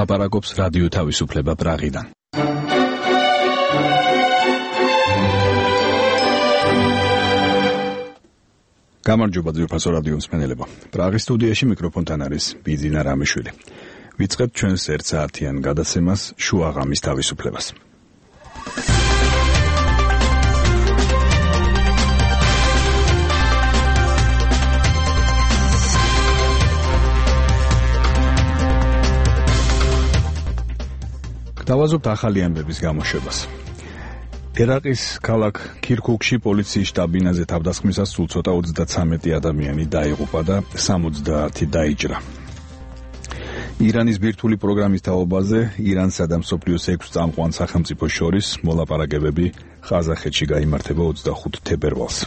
ლაპარაკობს რადიო თავისუფლება პრაღიდან. გამარჯობა ძვირფასო რადიო მსმენელებო. პრაღის სტუდიაში მიკროფონთან არის ბიძინა რამიშვილი. ვიწყებთ ჩვენს 1 საათიან გადაცემას შუაღამის თავისუფლებას. დავაზობთ ახალი ამბების გამოშვებას. ერაყის ქალაქ ქირქუქში პოლიციის შტაბ-ბინაზე თავდასხმისას სულ ცოტა 33 ადამიანი დაიღუპა და 70 დაიჭრა. ირანის ბირთვული პროგრამის თაობაზე ირანსა და მსოფლიოს 6 წამყვან სახელმწიფოს შორის მოლაპარაკებები ყაზახეთში გაიმართება 25 თებერვალს.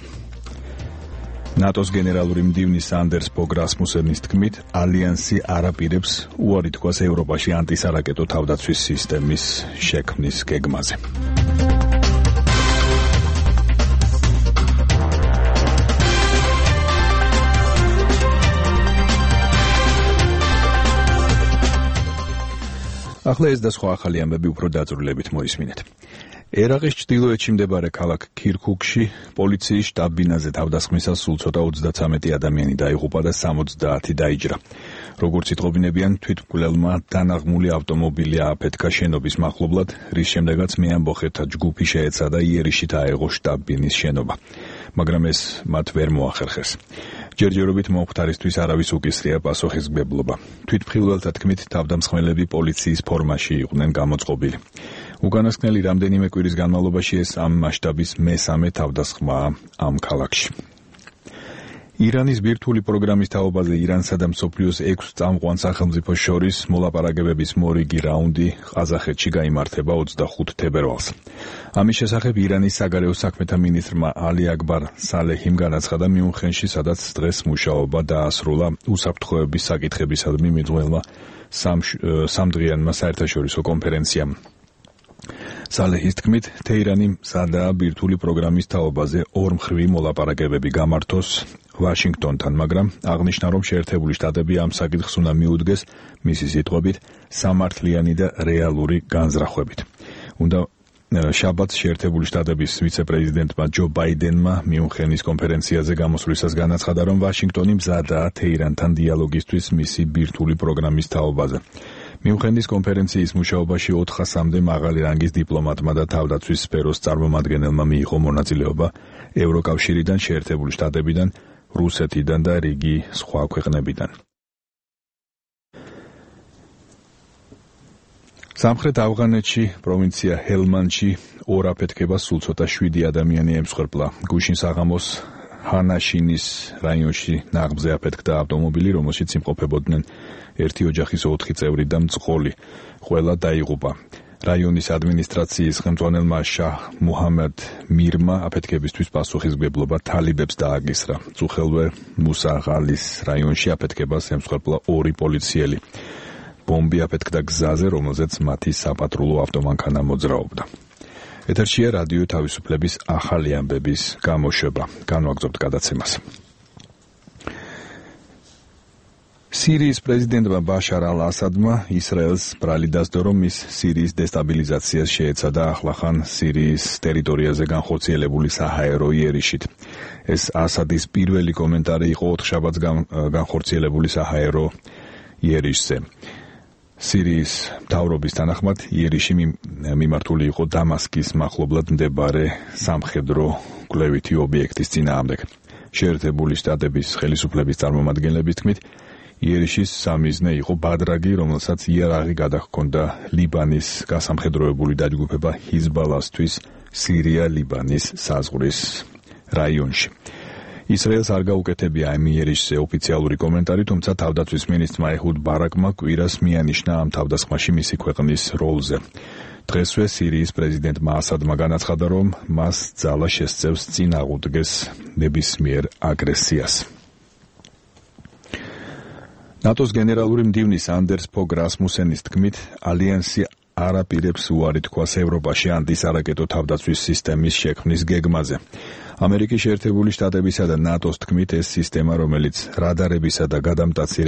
ნატოს გენერალური მდივნის სანდერს ბოგ რასმუსენის თქმით, ალიანსი არ აპირებს უარი თქვას ევროპაში ანტისარაკეტო თავდაცვის სისტემის შექმნის გეგმაზე. ახლა ეს და სხვა ახალი ამბები უფრო დაწვრილებით მოისმინეთ. ერაყის ჩრდილოეთში მდებარე ქალაქ ქირქუქში პოლიციის შტაბ-ბინაზე თავდასხმისას სულ ცოტა 33 ადამიანი დაიღუპა და 70 დაიჭრა. როგორც იტყობინებიან, თვითმკვლელმა დანაღმული ავტომობილი ააფეთქა შენობის მახლობლად, რის შემდეგაც მეამბოხეთა ჯგუფი შეეცადა იერიში დაეღო შტაბ-ბინის შენობა, მაგრამ ეს მათ ვერ მოახერხეს. ჯერჯერობით მომხდარისთვის არავის უკისრია პასუხისმგებლობა. თვითმხილველთა თქმით, თავდამსხმელები პოლიციის ფორმაში იყვნენ გამოწყობილი. უკანასკნელი რამდენიმე კვირის განმავლობაში ეს ამ მასშტაბის მესამე თავდასხმაა ამ ქალაქში. ირანის ბირთვული პროგრამის თაობაზე ირანსა და მსოფლიოს 6 წამყვან სახელმწიფოს შორის მოლაპარაკებების მორიგი რაუნდი ყაზახეთში გაიმართება 25 თებერვალს. ამის შესახებ ირანის საგარეო საქმეთა მინისტრმა ალი აკბარ სალეჰიმ განაცხადა მიუნხენში, სადაც დღეს მუშაობა დაასრულა უსაფრთხოების საკითხებისადმი მიძღვნილმა სამდღიანმა საერთაშორისო კონფერენციამ. სალეჰის თქმით, თეირანი მზადაა ბირთვული პროგრამის თაობაზე ორმხრივი მოლაპარაკებები გამართოს ვაშინგტონთან, მაგრამ აღნიშნა, რომ შეერთებული შტატები ამ საკითხს უნდა მიუდგეს მისი სიტყვებით სამართლიანი და რეალური განზრახვებით. უნდა შაბათს შეერთებული შტატების ვიცე-პრეზიდენტმა ჯო ბაიდენმა მიუნხენის კონფერენციაზე გამოსვლისას განაცხადა, რომ ვაშინგტონი მზადაა თეირანთან დიალოგისთვის მისი ბირთვული პროგრამის თაობაზე. მიუნხენის კონფერენციის მუშაობაში 400-მდე მაღალი რანგის დიპლომატმა და თავდაცვის სფეროს წარმომადგენელმა მიიღო მონაწილეობა ევროკავშირიდან, შეერთებული შტატებიდან, რუსეთიდან და რიგი სხვა ქვეყნებიდან. სამხრეთ ავღანეთში, პროვინცია ჰელმანდში ორ აფეთქებას სულ ცოტა 7 ადამიანი ემსხვერპლა. გუშინ საღამოს ჰანაშინის რაიონში ნაღმზე აფეთქდა ავტომობილი, რომელშიც იმყოფებოდნენ ერთი ოჯახის 4 წევრი და მწყოლი. ყველა დაიღუპა. რაიონის ადმინისტრაციის ხელმძღვანელმა შაჰ მუჰამედ მირმა აფეთქებისთვის პასუხისმგებლობა თალიბებს დააკისრა. წუხელვე მუსაღალის რაიონში აფეთქებას ემსხვერპლა 2 პოლიციელი. ბომბი აფეთქდა გზაზე, რომელზეც მათი საპატრულო ავტომანქანა მოძრაობდა. ეთერშია რადიო თავისუფლების ახალი ამბების გამოშვება. განვაგრძობთ გადაცემას. სირიის პრეზიდენტმა ბაშარ ალ-ასადმა ისრაელს ბრალი დასდო, რომ ის სირიის დესტაბილიზაციას შეეცადა ახლახან სირიის ტერიტორიაზე განხორციელებული საჰაერო იერიშით. ეს ასადის პირველი კომენტარი იყო 4 შაბათს განხორციელებული საჰაერო იერიშზე. სირიის მთავრობის თანახმად იერიში მიმართული იყო დამასკის მახლობლად მდებარე სამხედრო კვლევითი ობიექტის წინააღმდეგ. შეერთებული შტატების ხელისუფლების წარმომადგენლების თქმით, იერიშის სამიზნე იყო ბადრაგი, რომელსაც იარაღი გადაჰქონდა ლიბანის გასამხედროებული დაჯგუფება ჰიზბალასთვის სირია-ლიბანის საზღვრის რაიონში. ისრაელს არ გაუკეთებია ამ იერიშზე ოფიციალური კომენტარი, თუმცა თავდაცვის მინისტრმა ეჰუდ ბარაკმა კვირას მიანიშნა ამ თავდასხმაში მისი ქვეყნის როლზე. დღესვე სირიის პრეზიდენტმა ასადმა განაცხადა, რომ მას ძალა შესწევს წინ აღუდგეს ნებისმიერ აგრესიას. ნატოს გენერალური მდივნის სანდერს ბოგ რასმუსენის თქმით, ალიანსი არ აპირებს უარი თქვას ევროპაში ანტისარაკეტო თავდაცვის სისტემის შექმნის გეგმაზე. ამერიკის შეერთებული შტატებისა და ნატოს თქმით, ეს სისტემა, რომელიც რადარებისა და გადამტაცი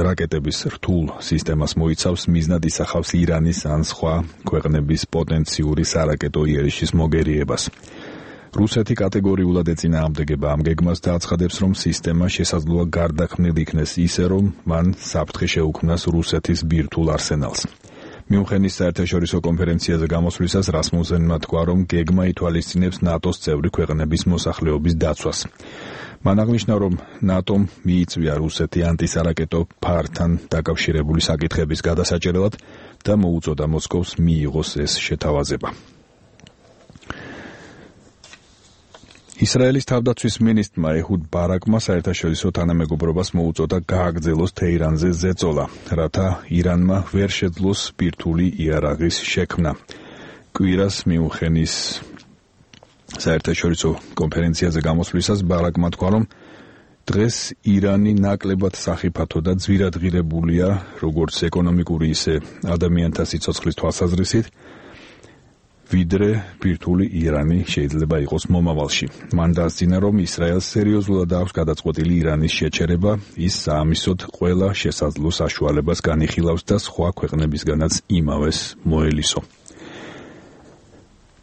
რაკეტების რთულ სისტემას მოიცავს, მიზნად ისახავს ირანის ან სხვა ქვეყნების პოტენციური სარაკეტო იერიშის მოგერიებას. რუსეთი კატეგორიულად ეწინააღმდეგება ამ გეგმას და აცხადებს, რომ სისტემა შესაძლოა გარდაქმნილი იქნეს ისე, რომ მან საფრთხე შეუქმნას რუსეთის ბირთვულ არსენალს. მიუნხენის საერთაშორისო კონფერენციაზე გამოსვლისას რასმუსენმა თქვა, რომ გეგმა ითვალისწინებს ნატოს წევრი ქვეყნების მოსახლეობის დაცვას. მან აღნიშნა, რომ ნატომ მიიწვია რუსეთი ანტისარაკეტო ფართან დაკავშირებული საკითხების გადასაჭერელად და მოუწოდა მოსკოვს მიიღოს ეს შეთავაზება. ისრაელის თავდაცვის მინისტრმა ეჰუდ ბარაკმა საერთაშორისო თანამეგობრობას მოუწოდა გააგრძელოს თეირანზე ზეწოლა, რათა ირანმა ვერ შეძლოს ბირთვული იარაღის შექმნა. კვირას მიუნხენის საერთაშორისო კონფერენციაზე გამოსვლისას ბარაკმა თქვა, რომ დღეს ირანი ნაკლებად სახიფათო და ძვირადღირებულია როგორც ეკონომიკური, ისე ადამიანთა სიცოცხლის თვალსაზრისით, ვიდრე ბირთვული ირანი შეიძლება იყოს მომავალში. მან დასძინა, რომ ისრაელს სერიოზულად აქვს გადაწყვეტილი ირანის შეჩერება, ის საამისოდ ყველა შესაძლო საშუალებას განიხილავს და სხვა ქვეყნებისგანაც იმავეს მოელისო.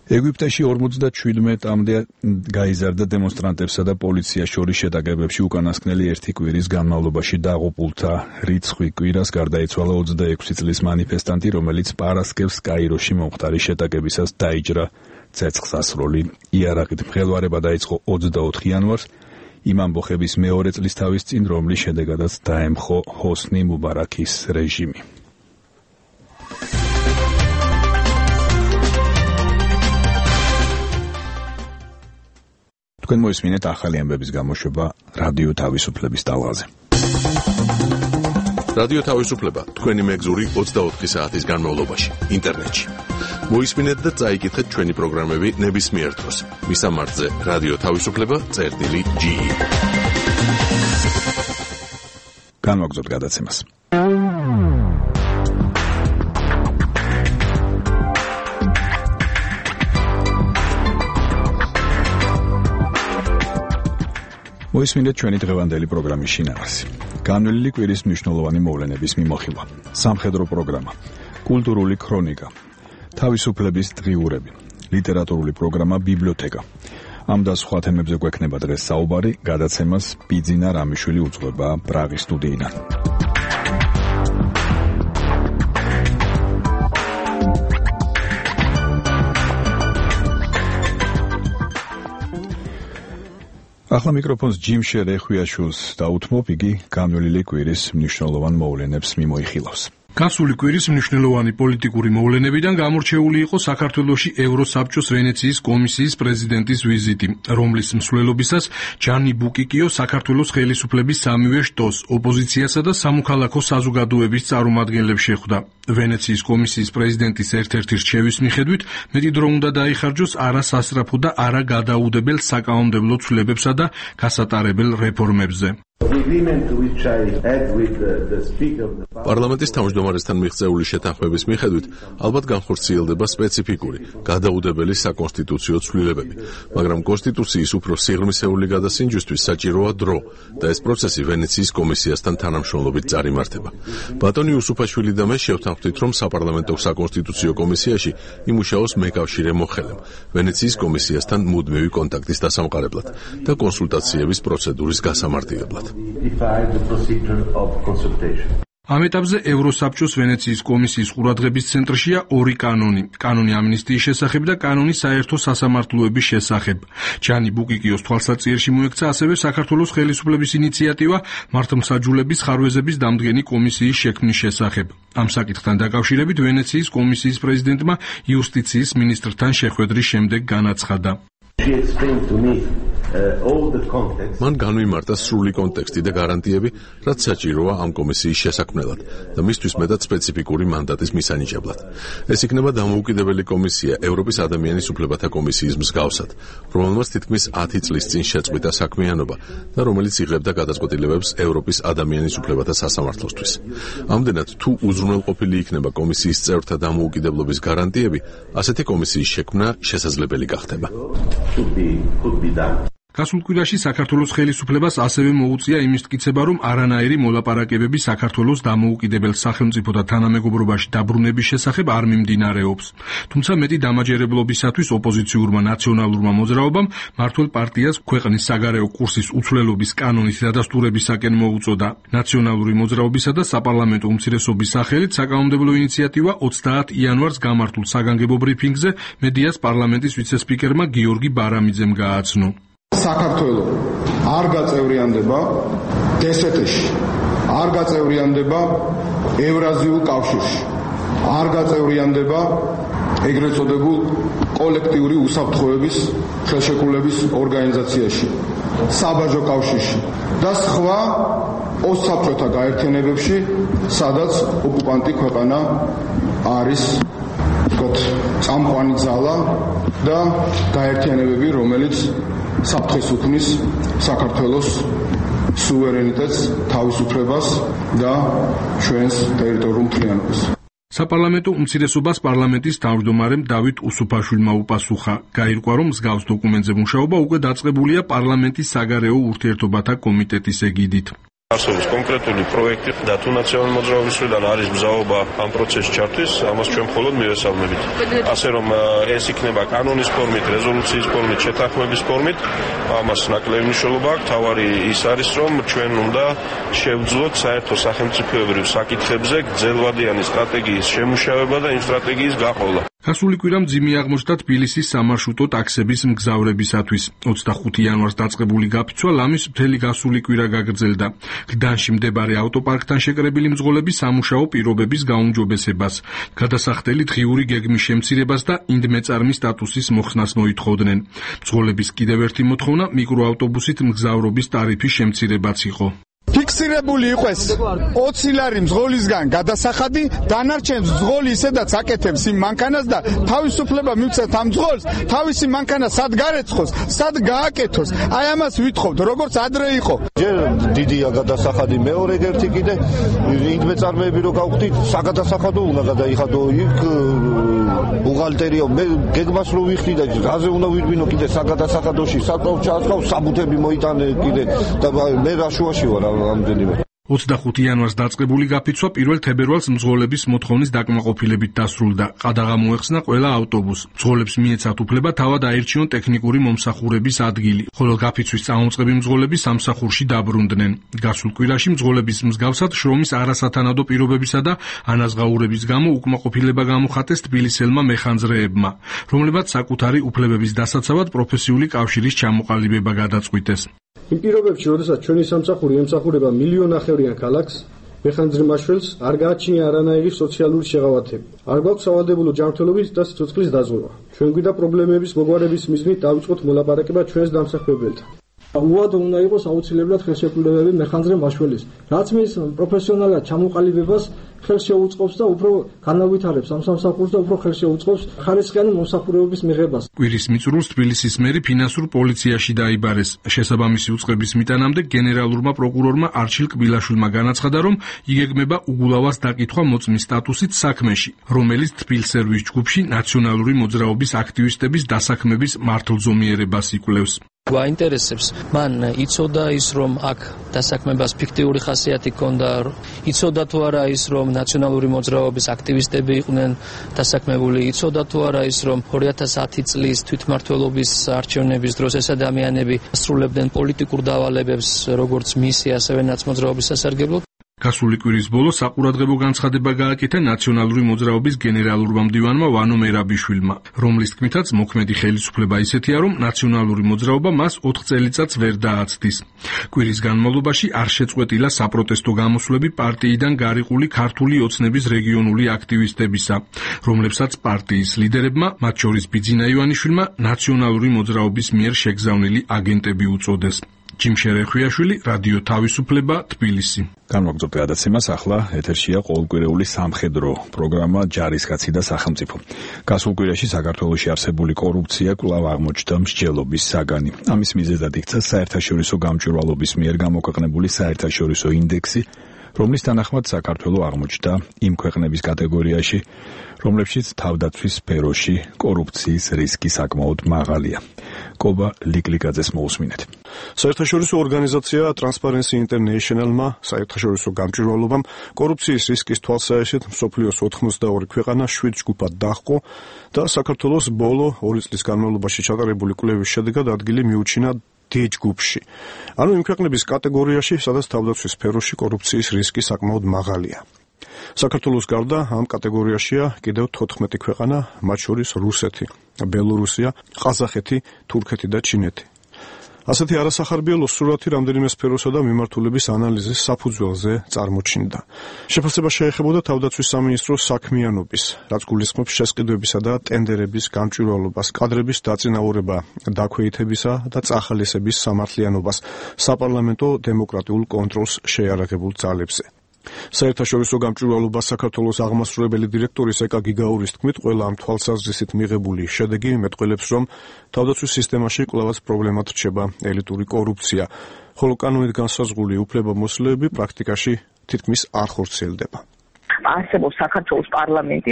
ეგვიპტეში 57-მდე გაიზარდა დემონსტრანტებსა და პოლიციას შორის შეტაკებებში უკანასკნელი ერთი კვირის განმავლობაში დაღუპულთა რიცხვი. კვირას გარდაიცვალა 26 წლის მანიფესტანტი, რომელიც პარასკევს კაიროში მომხდარი შეტაკებისას დაიჯრა ცეცხლსასროლი იარაღით. მღელვარება დაიწყო 24 იანვარს, იმ ამბოხების მეორე წლის თავის წინ, რომლის შედეგადაც დაემხო ჰოსნი მუბარაქის რეჟიმი. თქვენ მოისმინეთ ახალი ამბების გამოშვება რადიო თავისუფლების ტალღაზე. რადიო თავისუფლება თქვენი მეგზური 24 საათის განმავლობაში ინტერნეტში. მოისმინეთ და წაიკითხეთ ჩვენი პროგრამები ნებისმიერ დროს. მისამართზე რადიო თავისუფლება.ge. განვაგრძოთ გადაცემას. მოისმინეთ ჩვენი დღევანდელი პროგრამის შინაარსი. განვლილი კვირის მნიშვნელოვანი მოვლენების მიმოხილვა. სამხედრო პროგრამა, კულტურული ქრონიკა, თავისუფლების დღიურები, ლიტერატურული პროგრამა ბიბლიოთეკა. ამ და სხვა თემებზე გვექნება დღეს საუბარი, გადაცემას ბიძინა რამიშვილი უძღვება პრაღის სტუდიიდან. ახლა მიკროფონს ჯიმშერ ეხვიაშვილს დაუთმობ, იგი განვლილი კვირის მნიშვნელოვან მოვლენებს მიმოიხილავს. გასული კვირის მნიშვნელოვანი პოლიტიკური მოვლენებიდან გამორჩეული იყო საქართველოში ევროსაბჭოს ვენეციის კომისიის პრეზიდენტის ვიზიტი, რომლის მსვლელობისას ჯანი ბუკიკიო საქართველოს ხელისუფლების სამივე შტოს, ოპოზიციასა და სამოქალაქო საზოგადოების წარმომადგენლებს შეხვდა. ვენეციის კომისიის პრეზიდენტის ერთ-ერთი რჩევის მიხედვით, მეტი დრო უნდა დაიხარჯოს არა სასწრაფო და არა გადაუდებელ საკანონმდებლო ცვლილებებსა და გასატარებელ რეფორმებზე. პარლამენტის თავმჯდომარესთან მიღწეული შეთანხმების მიხედვით ალბათ განხორციელდება სპეციფიკური, გადაუდებელი საკონსტიტუციო ცვლილებები, მაგრამ კონსტიტუციის უფრო სიღრმისეული გადასინჯვისთვის საჭიროა დრო და ეს პროცესი ვენეციის კომისიასთან თანამშრომლობით წარიმართება. ბატონი უსუფაშვილი და მე შევთანხმდით, რომ საპარლამენტო საკონსტიტუციო კომისიაში იმუშაოს მეკავშირე მოხელემ, ვენეციის კომისიასთან მუდმივი კონტაქტის დასამყარებლად და კონსულტაციების პროცედურის გასამარტივებლად. ამ ეტაპზე ევროსაბჭოს ვენეციის კომისიის ყურადღების ცენტრშია ორი კანონი: კანონი ამნისტიის შესახებ და კანონი საერთო სასამართლოების შესახებ. ჯანი ბუკიკიოს თვალსაჩინში მოექცა ასევე საქართველოს ხელისუფლების ინიციატივა მართლმსაჯულების ხარვეზების დამდგენი კომისიის შექმნის შესახებ. ამ საკითხთან დაკავშირებით ვენეციის კომისიის პრეზიდენტმა იუსტიციის მინისტრთან შეხვედრის შემდეგ განაცხადა. მან განვიმარტა სრული კონტექსტი და გარანტიები, რაც საჭიროა ამ კომისიის შესაქმნელად და მისთვის მეტად სპეციფიკური მანდატის მისანიჭებლად. ეს იქნება დამოუკიდებელი კომისია ევროპის ადამიანის უფლებათა კომისიის მსგავსად, რომელმაც თითქმის 10 წლის წინ შეწყვიტა საქმიანობა და რომელიც იღებდა გადაწყვეტილებებს ევროპის ადამიანის უფლებათა სასამართლოსთვის. ამდენად, თუ უზრუნველყოფილი იქნება კომისიის წევრთა დამოუკიდებლობის გარანტიები, ასეთი კომისიის შექმნა შესაძლებელი გახდება. გასულ კვირაში საქართველოს ხელისუფლებას ასევე მოუწია იმის მტკიცება, რომ არანაირი მოლაპარაკებები საქართველოს დამოუკიდებელ სახელმწიფოთა თანამეგობრობაში დაბრუნების შესახებ არ მიმდინარეობს. თუმცა მეტი დამაჯერებლობისათვის ოპოზიციურმა ნაციონალურმა მოძრაობამ მმართველ პარტიას ქვეყნის საგარეო კურსის უცვლელობის კანონის დადასტურებისაკენ მოუწოდა. ნაციონალური მოძრაობისა და საპარლამენტო უმცირესობის სახელით საკანონმდებლო ინიციატივა 30 იანვარს გამართულ საგანგებო ბრიფინგზე მედიას პარლამენტის ვიცე-სპიკერმა გიორგი ბარამიძემ გააცნო. საქართველო არ გაწევრიანდება DST-ში, არ გაწევრიანდება ევრაზიულ კავშირში, არ გაწევრიანდება ეგრეთ წოდებულ კოლექტიური უსაფრთხოების ხელშეკრულების ორგანიზაციაში, საბაჟო კავშირში და სხვა ოსაბჭოთა გაერთიანებებში, სადაც ოკუპანტი ქვეყანა არის წამყვანი ძალა და გაერთიანებები, რომელიც საფრთხეს უქმნის საქართველოს სუვერენიტეტს, თავისუფლებას და ჩვენს ტერიტორიულ მთლიანობას. საპარლამენტო უმცირესობას პარლამენტის თავმჯდომარემ დავით უსუფაშვილმა უპასუხა. გაირკვა, რომ მსგავს დოკუმენტზე მუშაობა უკვე დაწყებულია პარლამენტის საგარეო ურთიერთობათა კომიტეტის ეგიდით. არსებობს კონკრეტული პროექტი და თუ ნაციონალური მოძრაობის მხრიდან არის მზაობა ამ პროცესში ჩართვის, ამას ჩვენ მხოლოდ მივესალმებით. ასე რომ ეს იქნება კანონის ფორმით, რეზოლუციის ფორმით, შეთანხმების ფორმით, ამას ნაკლები მნიშვნელობა აქვს. თავარი ის არის, რომ ჩვენ უნდა შევძლოთ საერთო სახელმწიფოებრივ საკითხებზე გრძელვადიანი სტრატეგიის შემუშავება და იმ სტრატეგიის გაყოლა. გასული კვირა მძიმე აღმოჩნდა თბილისის სამარშრუტო ტაქსების მგზავრებისათვის. 25 იანვარს დაწყებული გაფიცვა ლამის მთელი გასული კვირა გაგრძელდა. გდანში მდებარე ავტოპარკთან შეკრებილი მძღოლები სამუშაო პირობების გაუმჯობესებას, გადასახდელი დღიური გეგმის შემცირებას და ინდმეწარმის სტატუსის მოხსნას მოითხოვდნენ. მძღოლების კიდევ ერთი მოთხოვნა მიკროავტობუსით მგზავრობის ტარიფის შემცირებაც იყო. ფიქსირებული იყოს 20 ლარი მძღოლისგან გადასახადი, დანარჩენ მძღოლი ისედაც აკეთებს იმ მანქანას და თავისუფლება მივცეთ ამ მძღოლს, თავისი მანქანა სად გარეცხოს, სად გააკეთოს. აი ამას ვითხოვთ, როგორც ადრე იყო. ჯერ დიდია გადასახადი, მეორე ერთი კიდე ინდმეწარმეები რო გავხდით, საგადასახადო უნდა გადაიხადო იქ ბუღალტერია, მე გეგმას რო ვიხდი და გაზე უნდა ვირბინო კიდე საგადასახადოში, საკრავ ჩაასხავ, საბუთები მოიტანე კიდე და მე რაშუაში ვარ. 25 იანვარს დაწყებული გაფიცვა 1 თებერვალს მძღოლების მოთხოვნის დაკმაყოფილებით დასრულდა. ყადაღა მოეხსნა ყველა ავტობუსს. მძღოლებს მიეცათ უფლება თავად აირჩიონ ტექნიკური მომსახურების ადგილი, ხოლო გაფიცვის წამოწყები მძღოლები სამსახურში დაბრუნდნენ. გასულ კვირაში მძღოლების მსგავსად შრომის არასათანადო პირობებისა და ანაზღაურების გამო უკმაყოფილება გამოხატეს თბილისელმა მეხანძრეებმა, რომლებაც საკუთარი უფლებების დასაცავად პროფესიული კავშირის ჩამოყალიბება გადაწყვიტეს. იმ პირობებში, როდესაც ჩვენი სამსახური ემსახურება მილიონნახევრიან ქალაქს, მეხანძრე-მაშველს არ გააჩნია არანაირი სოციალური შეღავათები. არ გვაქვს სავალდებულო ჯანმრთელობის და სიცოცხლის დაზღვევა. ჩვენ გვიდა პრობლემების მოგვარების მიზნით დავიწყოთ მოლაპარაკება ჩვენს დამსახურებელთან. უადო უნდა იყოს აუცილებლად ხელშეკრულებები მეხანძრე-მაშველის, რაც მის პროფესიონალად ჩამოყალიბებას ხელს შეუწყობს და უფრო განავითარებს ამ სამსახურს და უფრო ხელს შეუწყობს ხარისხიანი მომსახურებების მიღებას. კვირის მიწურულს თბილისის მერი ფინანსურ პოლიციაში დაიბარეს. შესაბამისი უწყების მიტანამდე გენერალურმა პროკურორმა არჩილ კბილაშვილმა განაცხადა, რომ იგეგმება უგულავას დაკითხვა მოწმის სტატუსით საქმეში, რომელიც თბილსერვის ჯგუფში ნაციონალური მოძრაობის აქტივისტების დასაქმების მართლზომიერებას იკვლევს. გვაინტერესებს, მან იცოდა ის, რომ აქ დასაქმებას ფიქტიური ხასიათი ჰქონდა, იცოდა თუ არა ის, რომ ნაციონალური მოძრაობის აქტივისტები იყვნენ დასაქმებული, იცოდა თუ არა ის, რომ 2010 წლის თვითმმართველობის არჩევნების დროს ეს ადამიანები ასრულებდნენ პოლიტიკურ დავალებებს, როგორც მისი, ასევე ნაცმოძრაობის სასარგებლოდ. გასული კვირის ბოლოს საყურადღებო განცხადება გააკეთა ნაციონალური მოძრაობის გენერალურმა მდივანმა ვანო მერაბიშვილმა, რომლის თქმითაც მოქმედი ხელისუფლება ისეთია, რომ ნაციონალური მოძრაობა მას 4 წელიწადს ვერ დააცდის. კვირის განმავლობაში არ შეწყვეტილა საპროტესტო გამოსვლები პარტიიდან გარიყული ქართული ოცნების რეგიონული აქტივისტებისა, რომლებსაც პარტიის ლიდერებმა, მათ შორის ბიძინა ივანიშვილმა, ნაციონალური მოძრაობის მიერ შეგზავნილი აგენტები უწოდეს. ჯიმშერ ეხვიაშვილი, რადიო თავისუფლება, თბილისი. განვაგრძობთ გადაცემას, ახლა ეთერშია ყოველკვირეული სამხედრო პროგრამა ჯარისკაცი და სახელმწიფო. გასულ კვირაში საქართველოში არსებული კორუფცია კვლავ აღმოჩნდა მსჯელობის საგანი. ამის მიზეზად იქცა საერთაშორისო გამჭვირვალობის მიერ გამოქვეყნებული საერთაშორისო ინდექსი, რომლის თანახმად საქართველო აღმოჩნდა იმ ქვეყნების კატეგორიაში, რომლებშიც თავდაცვის სფეროში კორუფციის რისკი საკმაოდ მაღალია. კობა ლიკლიკაძეს მოусმინეთ. საერთაშორისო ორგანიზაცია Transparency International-მა საერთაშორისო გამჭვირვალობამ კორუფციის რისკის თვალსაჩინოდ მსოფლიოს 82 ქვეყანა 7 ჯგუფად დაჰყო და საქართველოს ბოლო 2 წლის განმავლობაში ჩატარებული კვლევის შედეგად ადგილი მიუჩინა D ჯგუფში. ანუ იმ ქვეყნების კატეგორიაში, სადაც თავდაცვის სფეროში კორუფციის რისკი საკმაოდ მაღალია. საქართველოს გარდა ამ კატეგორიაშია კიდევ 14 ქვეყანა, მათ შორის რუსეთი, ბელორუსია, ყაზახეთი, თურქეთი და ჩინეთი. ასეთი არასახარბიელო სურათი რამდენიმე სფეროსა და მიმართულების ანალიზის საფუძველზე წარმოჩინდა. შეფასება შეეხებოდა თავდაცვის სამინისტროს საქმიანობის, რაც გულისხმობს შესყიდვებისა და ტენდერების გამჭვირვალობას, კადრების დაწინაურება, დაქვეითებისა და წახალისების სამართლიანობას, საპარლამენტო დემოკრატიულ კონტროლს შეიარაღებულ ძალებზე. საერთაშორისო გამჭვირვალობა საქართველოს აღმასრულებელი დირექტორის ეკა გიგაურის თქმით, ყველა ამ თვალსაზრისით მიღებული შედეგი მეტყველებს, რომ თავდაცვის სისტემაში კვლავაც პრობლემად რჩება ელიტური კორუფცია, ხოლო კანონით განსაზღვრული უფლებამოსილეები პრაქტიკაში თითქმის არ ხორციელდება. არსებობს საქართველოს პარლამენტი,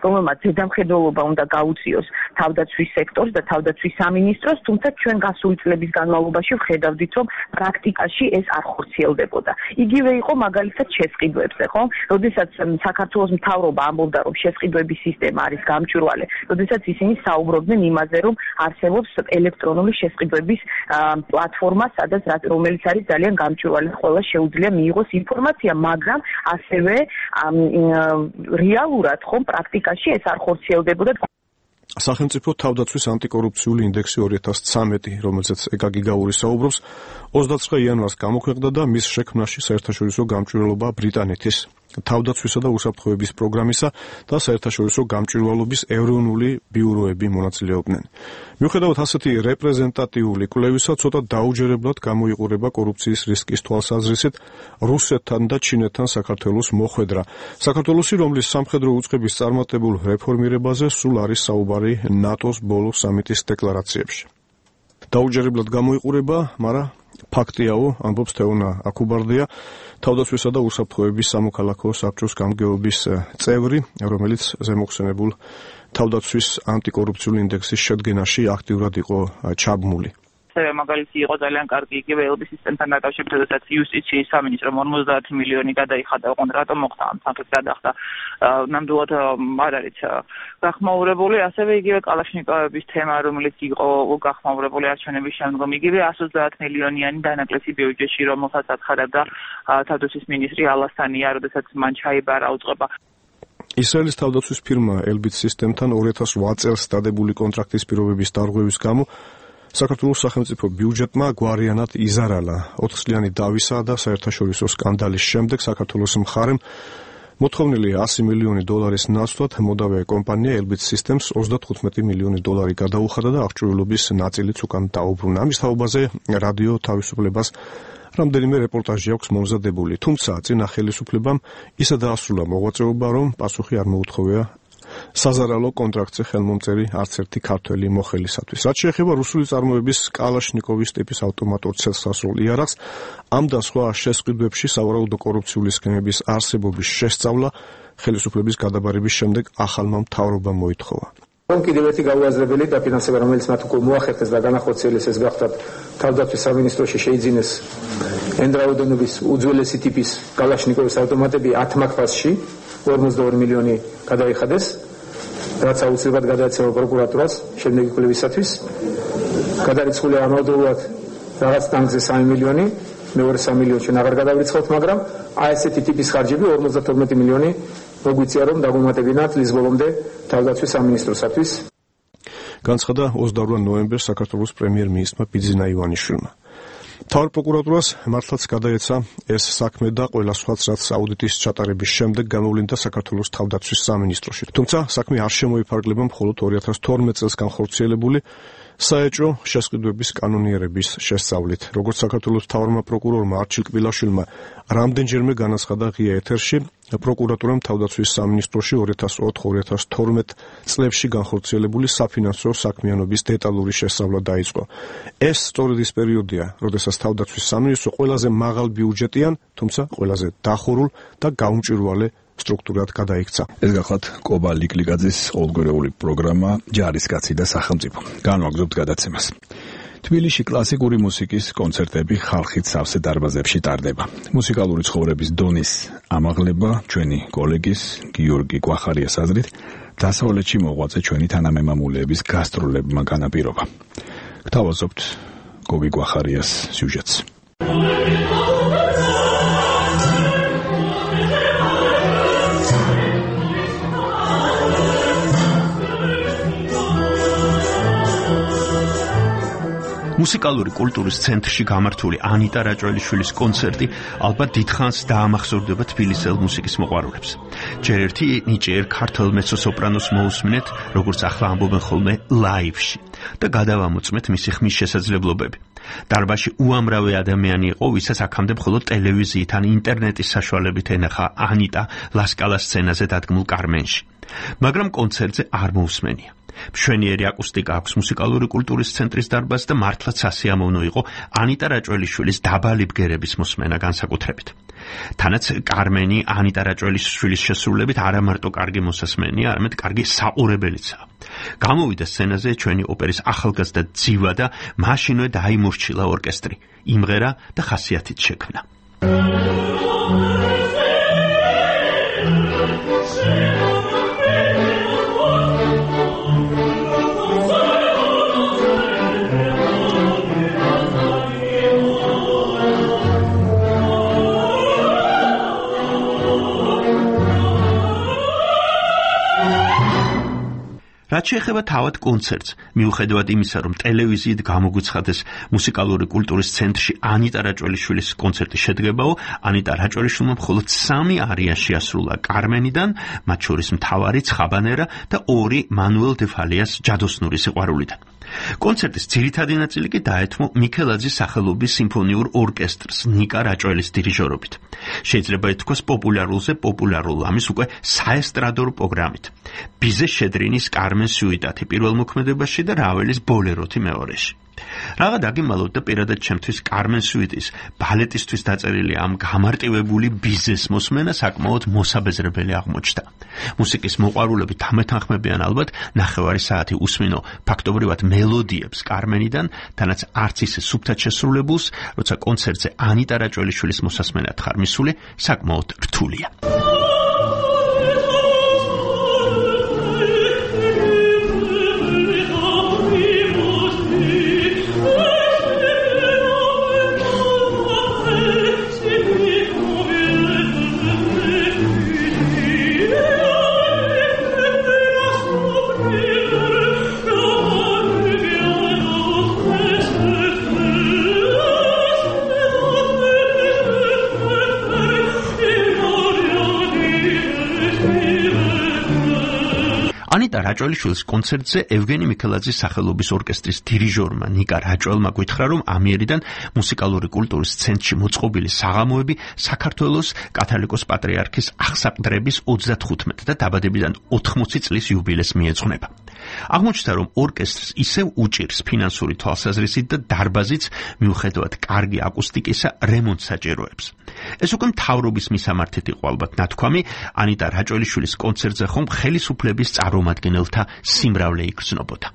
რომელმაც ზედამხედველობა უნდა გაუწიოს თავდაცვის სექტორს და თავდაცვის სამინისტროს, თუმცა ჩვენ გასული წლების განმავლობაში ვხედავდით, რომ პრაქტიკაში ეს არ ხორციელდებოდა. იგივე იყო მაგალითად შესყიდვებზე, ხო? როდესაც საქართველოს მთავრობა ამბობდა, რომ შესყიდვების სისტემა არის გამჭვირვალე, როდესაც ისინი საუბრობდნენ იმაზე, რომ არსებობს ელექტრონული შესყიდვების პლატფორმა, რომელიც არის ძალიან გამჭვირვალე, ყველა შეუძლია მიიღოს ინფორმაცია, მაგრამ ასევე რეალურად ხომ პრაქტიკაში ეს არ ხორციელდებოდა. სახელმწიფო თავდაცვის ანტიკორუფციული ინდექსი 2013, რომელზეც ეკა გიგაური საუბრობს, 29 იანვარს გამოქვეყნდა და მის შექმნაში საერთაშორისო გამჭვირვალობა ბრიტანეთის თავდაცვისა და უსაფრთხოების პროგრამისა და საერთაშორისო გამჭვირვალობის ეროვნული ბიუროები მონაწილეობდნენ. მიუხედავად ასეთი რეპრეზენტატიული კვლევისა, ცოტა დაუჯერებლად გამოიყურება კორუფციის რისკის თვალსაზრისით რუსეთთან და ჩინეთთან საქართველოს მოხვედრა. საქართველოსი, რომლის სამხედრო უწყების წარმატებულ რეფორმირებაზე სულ არის საუბარი ნატოს ბოლო სამიტის დეკლარაციებში. დაუჯერებლად გამოიყურება, მაგრამ ფაქტიაო, ამბობს თეონა აკუბარდია, თავდაცვისა და უსაფრთხოების სამოქალაქო საბჭოს გამგეობის წევრი, რომელიც ზემოხსენებულ თავდაცვის ანტიკორუფციული ინდექსის შედგენაში აქტიურად იყო ჩაბმული. მაგალითი იყო ძალიან კარგი იგივე ელბის სისტემთან დაკავშირებით, როდესაც იუსტიციის სამინისტრომ 50 მილიონი გადაიხადა, ოღონდ რატომ მოხდა ამ თანხის გადახდა, ნამდვილად არ არის გახმაურებული, ასევე იგივე კალაშნიკოვების თემა, რომელიც იყო გახმაურებული არჩევნების შემდგომ, იგივე 130 მილიონიანი დანაკლისი ბიუჯეტში, რომელსაც აცხადებდა თავდაცვის მინისტრი ალასთანია, როდესაც მან ჩაიბარა უწყება. ისრაელის თავდაცვის ფირმა ელბის სისტემთან 2008 წელს დადებული კონტრაქტის პირობების დარღვევის გამო საქართველოს სახელმწიფო ბიუჯეტმა გვარიანად იზარალა. 4 წლიანი დავისა და საერთაშორისო სკანდალის შემდეგ საქართველოს მხარემ მოთხოვნილი 100 მილიონი დოლარის ნაცვლად მოდავე კომპანია ელბის სისტემს 35 მილიონი დოლარი გადაუხადა და აღჭურვილობის ნაწილიც უკან დაუბრუნა. ამის თაობაზე რადიო თავისუფლებას რამდენიმე რეპორტაჟი აქვს მომზადებული, თუმცა წინა ხელისუფლებამ ისე დაასრულა მოღვაწეობა, რომ პასუხი არ მოუთხოვია საზარალო კონტრაქტზე ხელმომწერი არც ერთი ქართველი მოხელისათვის. რაც შეეხება რუსული წარმოების კალაშნიკოვის ტიპის ავტომატურ ცელსასროლ იარაღს, ამ და სხვა შესყიდვებში სავარაუდო კორუფციული სქემების არსებობის შესწავლა ხელისუფლების გადაბარების შემდეგ ახალმა მთავრობამ მოითხოვა. კიდევ ერთი გაუაზრებელი დაფინანსება, რომელიც მათ უკვე მოახერხეს და განახორციელეს, ეს გახდათ თავდაცვის სამინისტროში შეიძინეს ენდრაუდენობის უძველესი ტიპის კალაშნიკოვის ავტომატები 10 მაგფასში 42 მილიონი გადაიხადეს, რაც აუცილებლად გადაეცემა პროკურატურას შემდეგი კვლევისათვის. გადარიცხული ამავდროულად რაღაც ტანკზე 3 მილიონი მეორე 3 მილიონში აღარ გადავრიცხავთ, მაგრამ აი ესეთი ტიპის ხარჯები 52 მილიონი მოგვიწია რომ დაგვემატებინათ წლის ბოლომდე თავდაცვის სამინისტროსათვის. განცხადა 28 ნოემბერს საქართველოს პრემიერ-მინისტრმა ბიძინა ივანიშვილმა. მთავარ პროკურატურას მართლაც გადაეცა ეს საქმე და ყველა სხვაც რაც აუდიტის ჩატარების შემდეგ გამოვლინდა საქართველოს თავდაცვის სამინისტროში. თუმცა საქმე არ შემოიფარგლება მხოლოდ 2012 წელს განხორციელებული საეჭვო შესყიდვების კანონიერების შესწავლით. როგორც საქართველოს მთავარმა პროკურორმა არჩილ კბილაშვილმა რამდენჯერმე განაცხადა ღია ეთერში, პროკურატურამ თავდაცვის სამინისტროში 2004-2012 წლებში განხორციელებული საფინანსო საქმიანობის დეტალური შესწავლა დაიწყო. ეს სწორედ ის პერიოდია, როდესაც თავდაცვის სამინისტრო ყველაზე მაღალ ბიუჯეტიან, თუმცა ყველაზე დახურულ და გაუმჭვირვალე სტრუქტურად გადაიქცა. ეს გახლავთ კობა ლიკლიკაძის ყოველგვარეული პროგრამა ჯარისკაცი და სახელმწიფო. განვაგრძობთ გადაცემას. თბილისში კლასიკური მუსიკის კონცერტები ხალხით სავსე დარბაზებში ტარდება. მუსიკალური ცხოვრების დონის ამაღლება ჩვენი კოლეგის გიორგი კვახარიას აზრით დასავლეთში მოღვაწე ჩვენი თანამემამულეების გასტროლებმა განაპირობა. გთავაზობთ გოგი კვახარიას სიუჟეტს. მუსიკალური კულტურის ცენტრში გამართული ანიტა რაჭველიშვილის კონცერტი ალბათ დიდხანს დაამახსოვრდება თბილისელ მუსიკის მოყვარულებს. ჯერ ერთი ნიჭიერ ქართულ მეცო-სოპრანოს მოусმინეთ, როგორც ახლა ამბობენ ხოლმე ლაივში და გადავამოწმეთ მისი ხმის შესაძლებლობები. დარბაზში უამრავი ადამიანი იყო, ვისაც აქამდე მხოლოდ ტელევიზიით ან ინტერნეტის საშუალებით ენახა ანიტა ლასკალას სცენაზე დადგმულ კარმენში. მაგრამ კონცერტზე არ მოусმენია. მშვენიერი აკუსტიკა აქვს მუსიკალური კულტურის ცენტრის დარბაზს და მართლაც სასიამოვნო იყო ანიტა რაჭველიშვილის დაბალი ბგერების მოსმენა განსაკუთრებით. თანაც კარმენი ანიტა რაჭველიშვილის შესრულებით არა მარტო კარგი მოსასმენია, არამედ კარგი საყურებელიცაა. გამოვიდა სცენაზე ჩვენი ოპერის ახალგაზრდა ძივა და მაშინვე დაიმორჩილა ორკესტრი, იმღერა და ხასიათით შექმნა. რაც შეეხება თავად კონცერტს, მიუხედავად იმისა, რომ ტელევიზიით გამოგვიცხადეს მუსიკალური კულტურის ცენტრში ანიტა რაჭველიშვილის კონცერტი შედგებაო, ანიტა რაჭველიშვილმა მხოლოდ 3 არია შეასრულა კარმენიდან, მათ შორის მთავარი ცხაბანერა და 2 მანუელ დე ფალიას ჯადოსნური სიყვარულიდან. კონცერტის ძირითადი ნაწილი კი დაეთმო მიქელაძის სახელობის სიმფონიურ ორკესტრს ნიკა რაჭველის დირიჟორობით. შეიძლება ითქვას პოპულარულზე პოპულარულ ამის უკვე საესტრადო პროგრამით. ბიზე შედრინის კარმენ სუიტათი პირველ მოქმედებაში და რაველის ბოლეროთი მეორეში. Რაღაც აგიმალოთ და პირადად ჩემთვის კარმენ სუიტის ბალეტისთვის დაწერილი ამ გამარტივებული ბიზნეს მოსმენა საკმაოდ მოსაბეზრებელი აღმოჩნდა. მუსიკის მოყვარულები დამეთანხმებიან ალბათ ნახევარი საათი უსმინო ფაქტობრივად მელოდიებს კარმენიდან, თანაც არც ისე სუფთად შესრულებულს, როცა კონცერტზე ანიტა რაჭველიშვილის მოსასმენად ხარ მისული, საკმაოდ რთულია. ანიტა რაჭველიშვილის კონცერტზე ევგენი მიქელაძის სახელობის ორკესტრის დირიჟორმა ნიკა რაჭველმა გითხრა, რომ ამიერიდან მუსიკალური კულტურის ცენტრში მოწყობილი საღამოები საქართველოს კათოლიკოს პატრიარქის აღსაყდრების 35 და დაბადებიდან 80 წლის იუბილეს მიეძღვნება. აღმოჩნდა, რომ ორკესტრს ისევ უჭირს ფინანსური თვალსაზრისით და დარბაზიც მიუხედავად კარგი აკუსტიკისა რემონტს საჭიროებს. ეს უკვე მთავრობის მისამართით იყო ალბათ ნათქვამი, ანიტა რაჭველიშვილის კონცერტზე ხომ ხელისუფლების წარმომადგენელთა სიმრავლე იგრძნობოდა.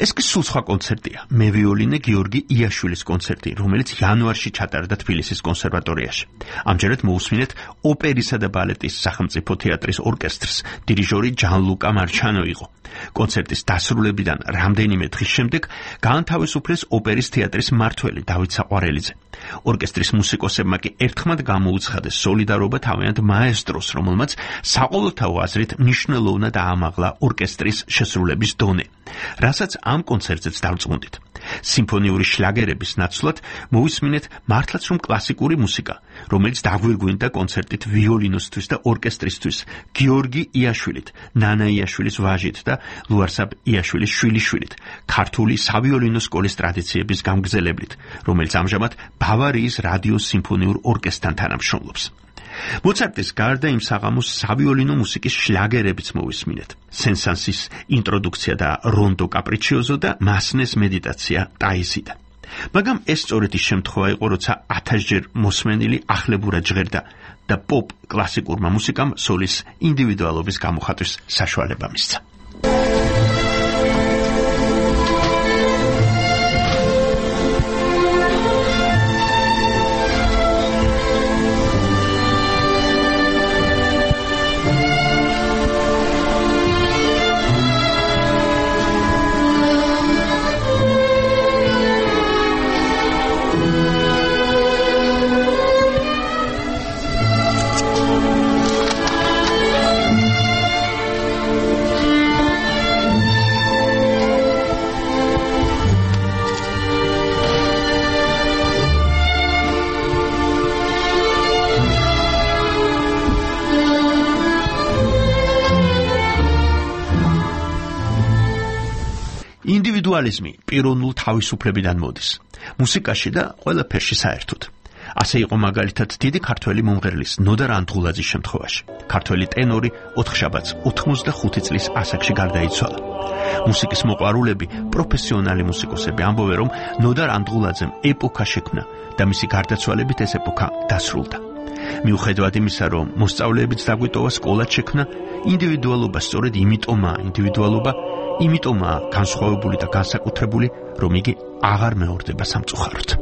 ეს კი სულ სხვა კონცერტია. მე ვიოლინე გიორგი იაშვილის კონცერტი, რომელიც იანვარში ჩატარდა თბილისის კონსერვატორიაში. ამჯერად მოусმინეთ ოპერისა და ბალეტის სახელმწიფო თეატრის ორკესტრს. დირიჟორი ჯანლუკა მარჩანო იყო. კონცერტის დასრულებიდან რამდენიმე დღის შემდეგ გაანთავისუფლეს ოპერის თეატრის მმართველი დავით საყვარელიძე. ორკესტრის მუსიკოსებმა კი ერთხმად გამოუცხადეს სოლიდარობა თავიანთ მაესტროს, რომელმაც საყოველთაო აზრით მნიშვნელოვნად აამაღლა ორკესტრის შესრულების დონე, რასაც ამ კონცერტზეც დავწმუნდით. სიმფონიური შლაგერების ნაცვლად მოვისმინეთ მართლაც რომ კლასიკური მუსიკა, რომელიც დაგვირგვინდა კონცერტით ვიოლინოსთვის და ორკესტრისთვის, გიორგი იაშვილით, ნანა იაშვილის ვაჟით და ლუარსაბ იაშვილის შვილიშვილით, ქართული სავიოლინო სკოლის ტრადიციების გამგზელებლით, რომელიც ამჟამად ბავარიის რადიოს სიმფონიურ ორკესტრთან თანამშრომლობს. მოცარტის გარდა იმ საღამოს სავიოლინო მუსიკის შლაგერებიც მოვისმინეთ. სენ-სანსის ინტროდუქცია და რონდო კაპრიჩიოზო და მასნეს მედიტაცია ტაისიდან. მაგრამ ეს სწორედ ის შემთხვევა იყო, როცა 1000-ჯერ მოსმენილი ახლებურად ჟღერდა და პოპ კლასიკურმა მუსიკამ სოლის ინდივიდუალობის გამოხატვის საშუალება მისცა. ინდივიდუალიზმი პიროვნულ თავისუფლებიდან მოდის. მუსიკაში და ყველაფერში საერთოდ. ასე იყო მაგალითად დიდი ქართველი მომღერლის ნოდარ ანდღულაძის შემთხვევაში. ქართველი ტენორი ოთხშაბათს 85 წლის ასაკში გარდაიცვალა. მუსიკის მოყვარულები, პროფესიონალი მუსიკოსები ამბობენ, რომ ნოდარ ანდღულაძემ ეპოქა შექმნა და მისი გარდაცვალებით ეს ეპოქა დასრულდა. მიუხედავად იმისა, რომ მოსწავლეებიც დაგვიტოვა, სკოლაც შექმნა, ინდივიდუალობა სწორედ იმიტომაა განსხვავებული და განსაკუთრებული, რომ იგი აღარ მეორდება სამწუხაროდ.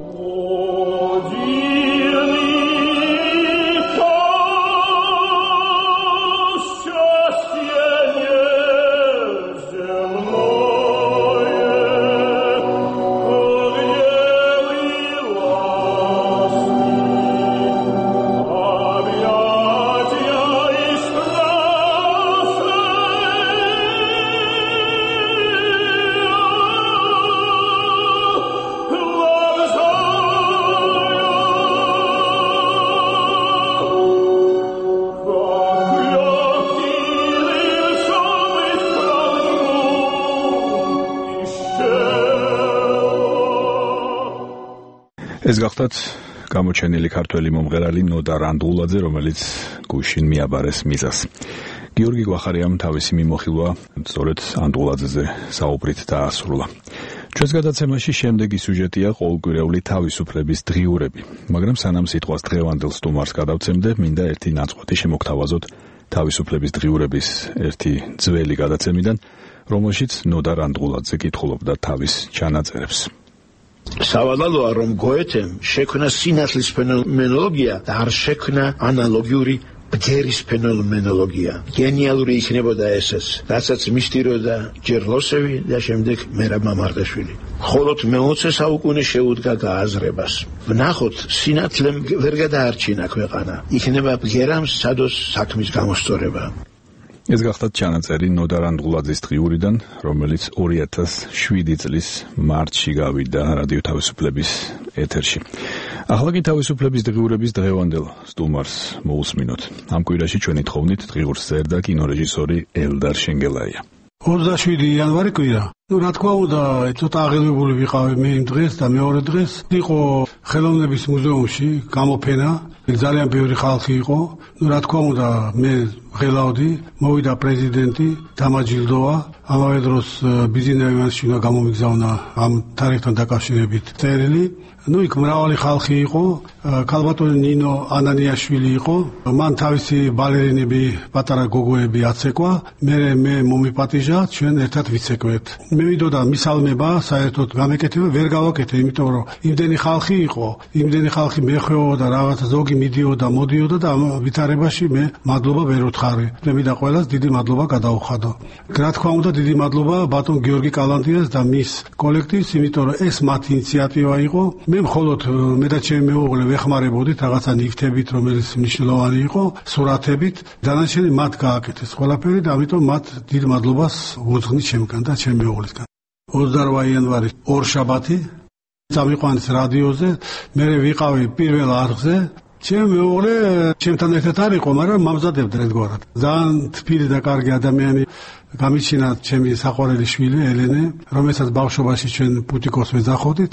ეს გახდათ გამოჩენილი ქართველი მომღერალი ნოდარ ანდღულაძე, რომელიც გუშინ მიაბარეს მიზას. გიორგი გვახარიამ თავისი მიმოხილვა სწორედ ანდღულაძეზე საუბრით დაასრულა. ჩვენს გადაცემაში შემდეგი სიუჟეტია ყოველკვირეული თავისუფლების დღიურები, მაგრამ სანამ სიტყვას დღევანდელ სტუმარს გადავცემდე, მინდა ერთი ნაწყვეტი შემოგთავაზოთ თავისუფლების დღიურების ერთი ძველი გადაცემიდან, რომელშიც ნოდარ ანდღულაძე კითხულობდა თავის ჩანაწერებს. სავალალოა, რომ გოეთემ შექმნა სინათლის ფენომენოლოგია და არ შექმნა ანალოგიური ბგერის ფენომენოლოგია. გენიალური იქნებოდა ესეც, რასაც მისდიროდა ჯერ ლოსევი და შემდეგ მერაბ მამარდაშვილი. მხოლოდ მე-20 საუკუნე შეუდგა გააზრებას. ვნახოთ, სინათლემ ვერ გადაარჩინა ქვეყანა. იქნება ბგერამ სადოს საქმის გამოსწორება. ეს გახდათ ჩანაწერი ნოდარ ანდღულაძის დღიურიდან, რომელიც 2007 წლის მარტში გავიდა რადიო თავისუფლების ეთერში. ახლა კი თავისუფლების დღიურების დღევანდელ სტუმარს მოусმინოთ. ამ კვირაში ჩვენი თხოვნით დღიურს წერდა კინორეჟისორი ელდარ შენგელაია. 27 იანვარი კვირა. რა თქმა უნდა, ცოტა აღელვებული ვიყავი მე იმ დღეს და მეორე დღეს იყო ხელოვნების მუზეუმში გამოფენა. ძალიან ბევრი ხალხი იყო. რა თქმა უნდა, მე ღელავდი, მოვიდა პრეზიდენტი, დამაჯილდოა. ამავე დროს ბიზნესმენში უნდა გამომიგზავნა ამ თარიღთან დაკავშირებით წერილი. იქ მრავალი ხალხი იყო, ქალბატონი ნინო ანანიაშვილი იყო, მან თავისი ბალერინები, პატარა გოგოები აცეკვა, მე მომიპატიჟა, ჩვენ ერთად ვიცეკვეთ. მე ვიდოდა მისალმება, საერთოდ გამეკეთება ვერ გავაკეთე, იმიტომ რომ იმდენი ხალხი იყო, იმდენი ხალხი მეხვეოდა, რაღაცა ზოგი მიდიოდა, მოდიოდა და ამ ვითარებაში მე მადლობა ვერ ვთხარი. მე და ყველას დიდი მადლობა გადაუხადო. რა თქმა უნდა, დიდი მადლობა ბატონ გიორგი კალანდიას და მის კოლექტივს, იმიტომ რომ ეს მათი ინიციატივა იყო. მე მხოლოდ მე და ჩემი მეუღლე ვეხმარებოდით რაღაცა ნივთებით, რომელიც მნიშვნელოვანი იყო, სურათებით, დანარჩენი მათ გააკეთეს ყველაფერი და ამიტომ მათ დიდ მადლობას ვუძღვნით ჩემგან და ჩემი მეუღლისგან. 28 იანვარი ორშაბათი წამიყვანეს რადიოზე, მე ვიყავი პირველ არხზე. ჩემი მეუღლე ჩემთან ერთად არ იყო, მაგრამ მამზადებდა ერთგვარად. ძალიან თბილი და კარგი ადამიანი. გამიჩინა ჩემი საყვარელი შვილი ელენე, რომელსაც ბავშვობაში ჩვენ ბუტიკოს ვეძახოდით.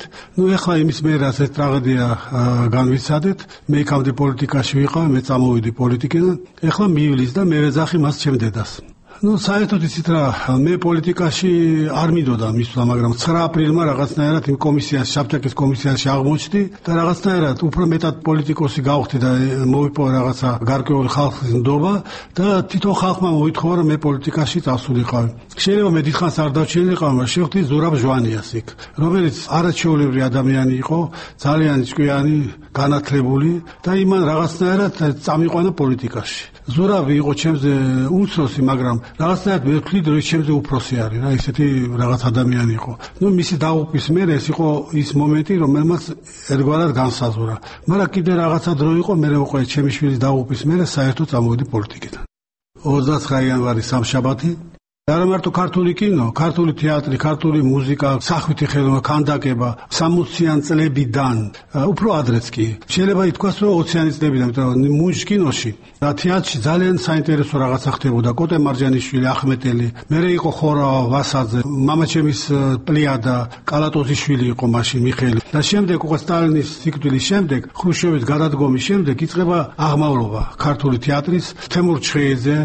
ეხლა იმის მერას ეს ტრაგედია განვიცადეთ. მე იქამდე პოლიტიკაში ვიყავ, მე წამოვიდი პოლიტიკიდან. ეხლა მივლის და მე ვეძახი მას ჩემ დედას. საერთოდ იცით რა, მე პოლიტიკაში არ მინდოდა მისვლა, მაგრამ 9 აპრილმა რაღაცნაირად იმ კომისიაში, საბჭოების კომისიაში აღმოჩნდი და რაღაცნაირად უფრო მეტად პოლიტიკოსი გავხდი და მოვიპოვა რაღაცა გარკვეული ხალხის ნდობა და თვითონ ხალხმა მოითხოვა, რომ მე პოლიტიკაში წასულიყავი. შეიძლება მე დიდხანს არ დავჩენილიყავ, მაგრამ შევხვდი ზურაბ ჟვანიას იქ, რომელიც არაჩვეულებრივი ადამიანი იყო, ძალიან ჭკვიანი, განათლებული და იმან რაღაცნაირად წამიყვანა პოლიტიკაში. ზურაბი იყო ჩემზე უმცროსი, მაგრამ რაღაცნაირად მე ვთვლით, რომ ჩემზე უფროსი არის რა, ისეთი რაღაც ადამიანი იყო. მისი დაღუპვის მერე ეს იყო ის მომენტი, რომელმაც ერთგვარად განსაზღვრა. მაგრამ კიდე რაღაცა დრო იყო, მე უკვე ჩემი შვილის დაღუპვის მერე საერთოდ წამოვიდი პოლიტიკიდან. 29 იანვარი სამშაბათი. არა მარტო ქართული კინო, ქართული თეატრი, ქართული მუსიკა, სახვითი ხელოვნება, ქანდაკება 60-იან წლებიდან, უფრო ადრეც კი. შეიძლება ითქვას, რომ 20-იანი წლებიდან, იმიტომ რომ მუნჯ კინოში და თეატრში ძალიან საინტერესო რაღაცა ხდებოდა. კოტე მარჯანიშვილი, ახმეტელი, მერე იყო ხორა ვასაძე, მამაჩემის პლიადა, კალატოზიშვილი იყო მაშინ მიხეილი. და შემდეგ უკვე სტალინის სიკვდილის შემდეგ, ხრუშჩოვის გადადგომის შემდეგ იწყება აღმავლობა ქართული თეატრის, თემურ ჩხეიძე,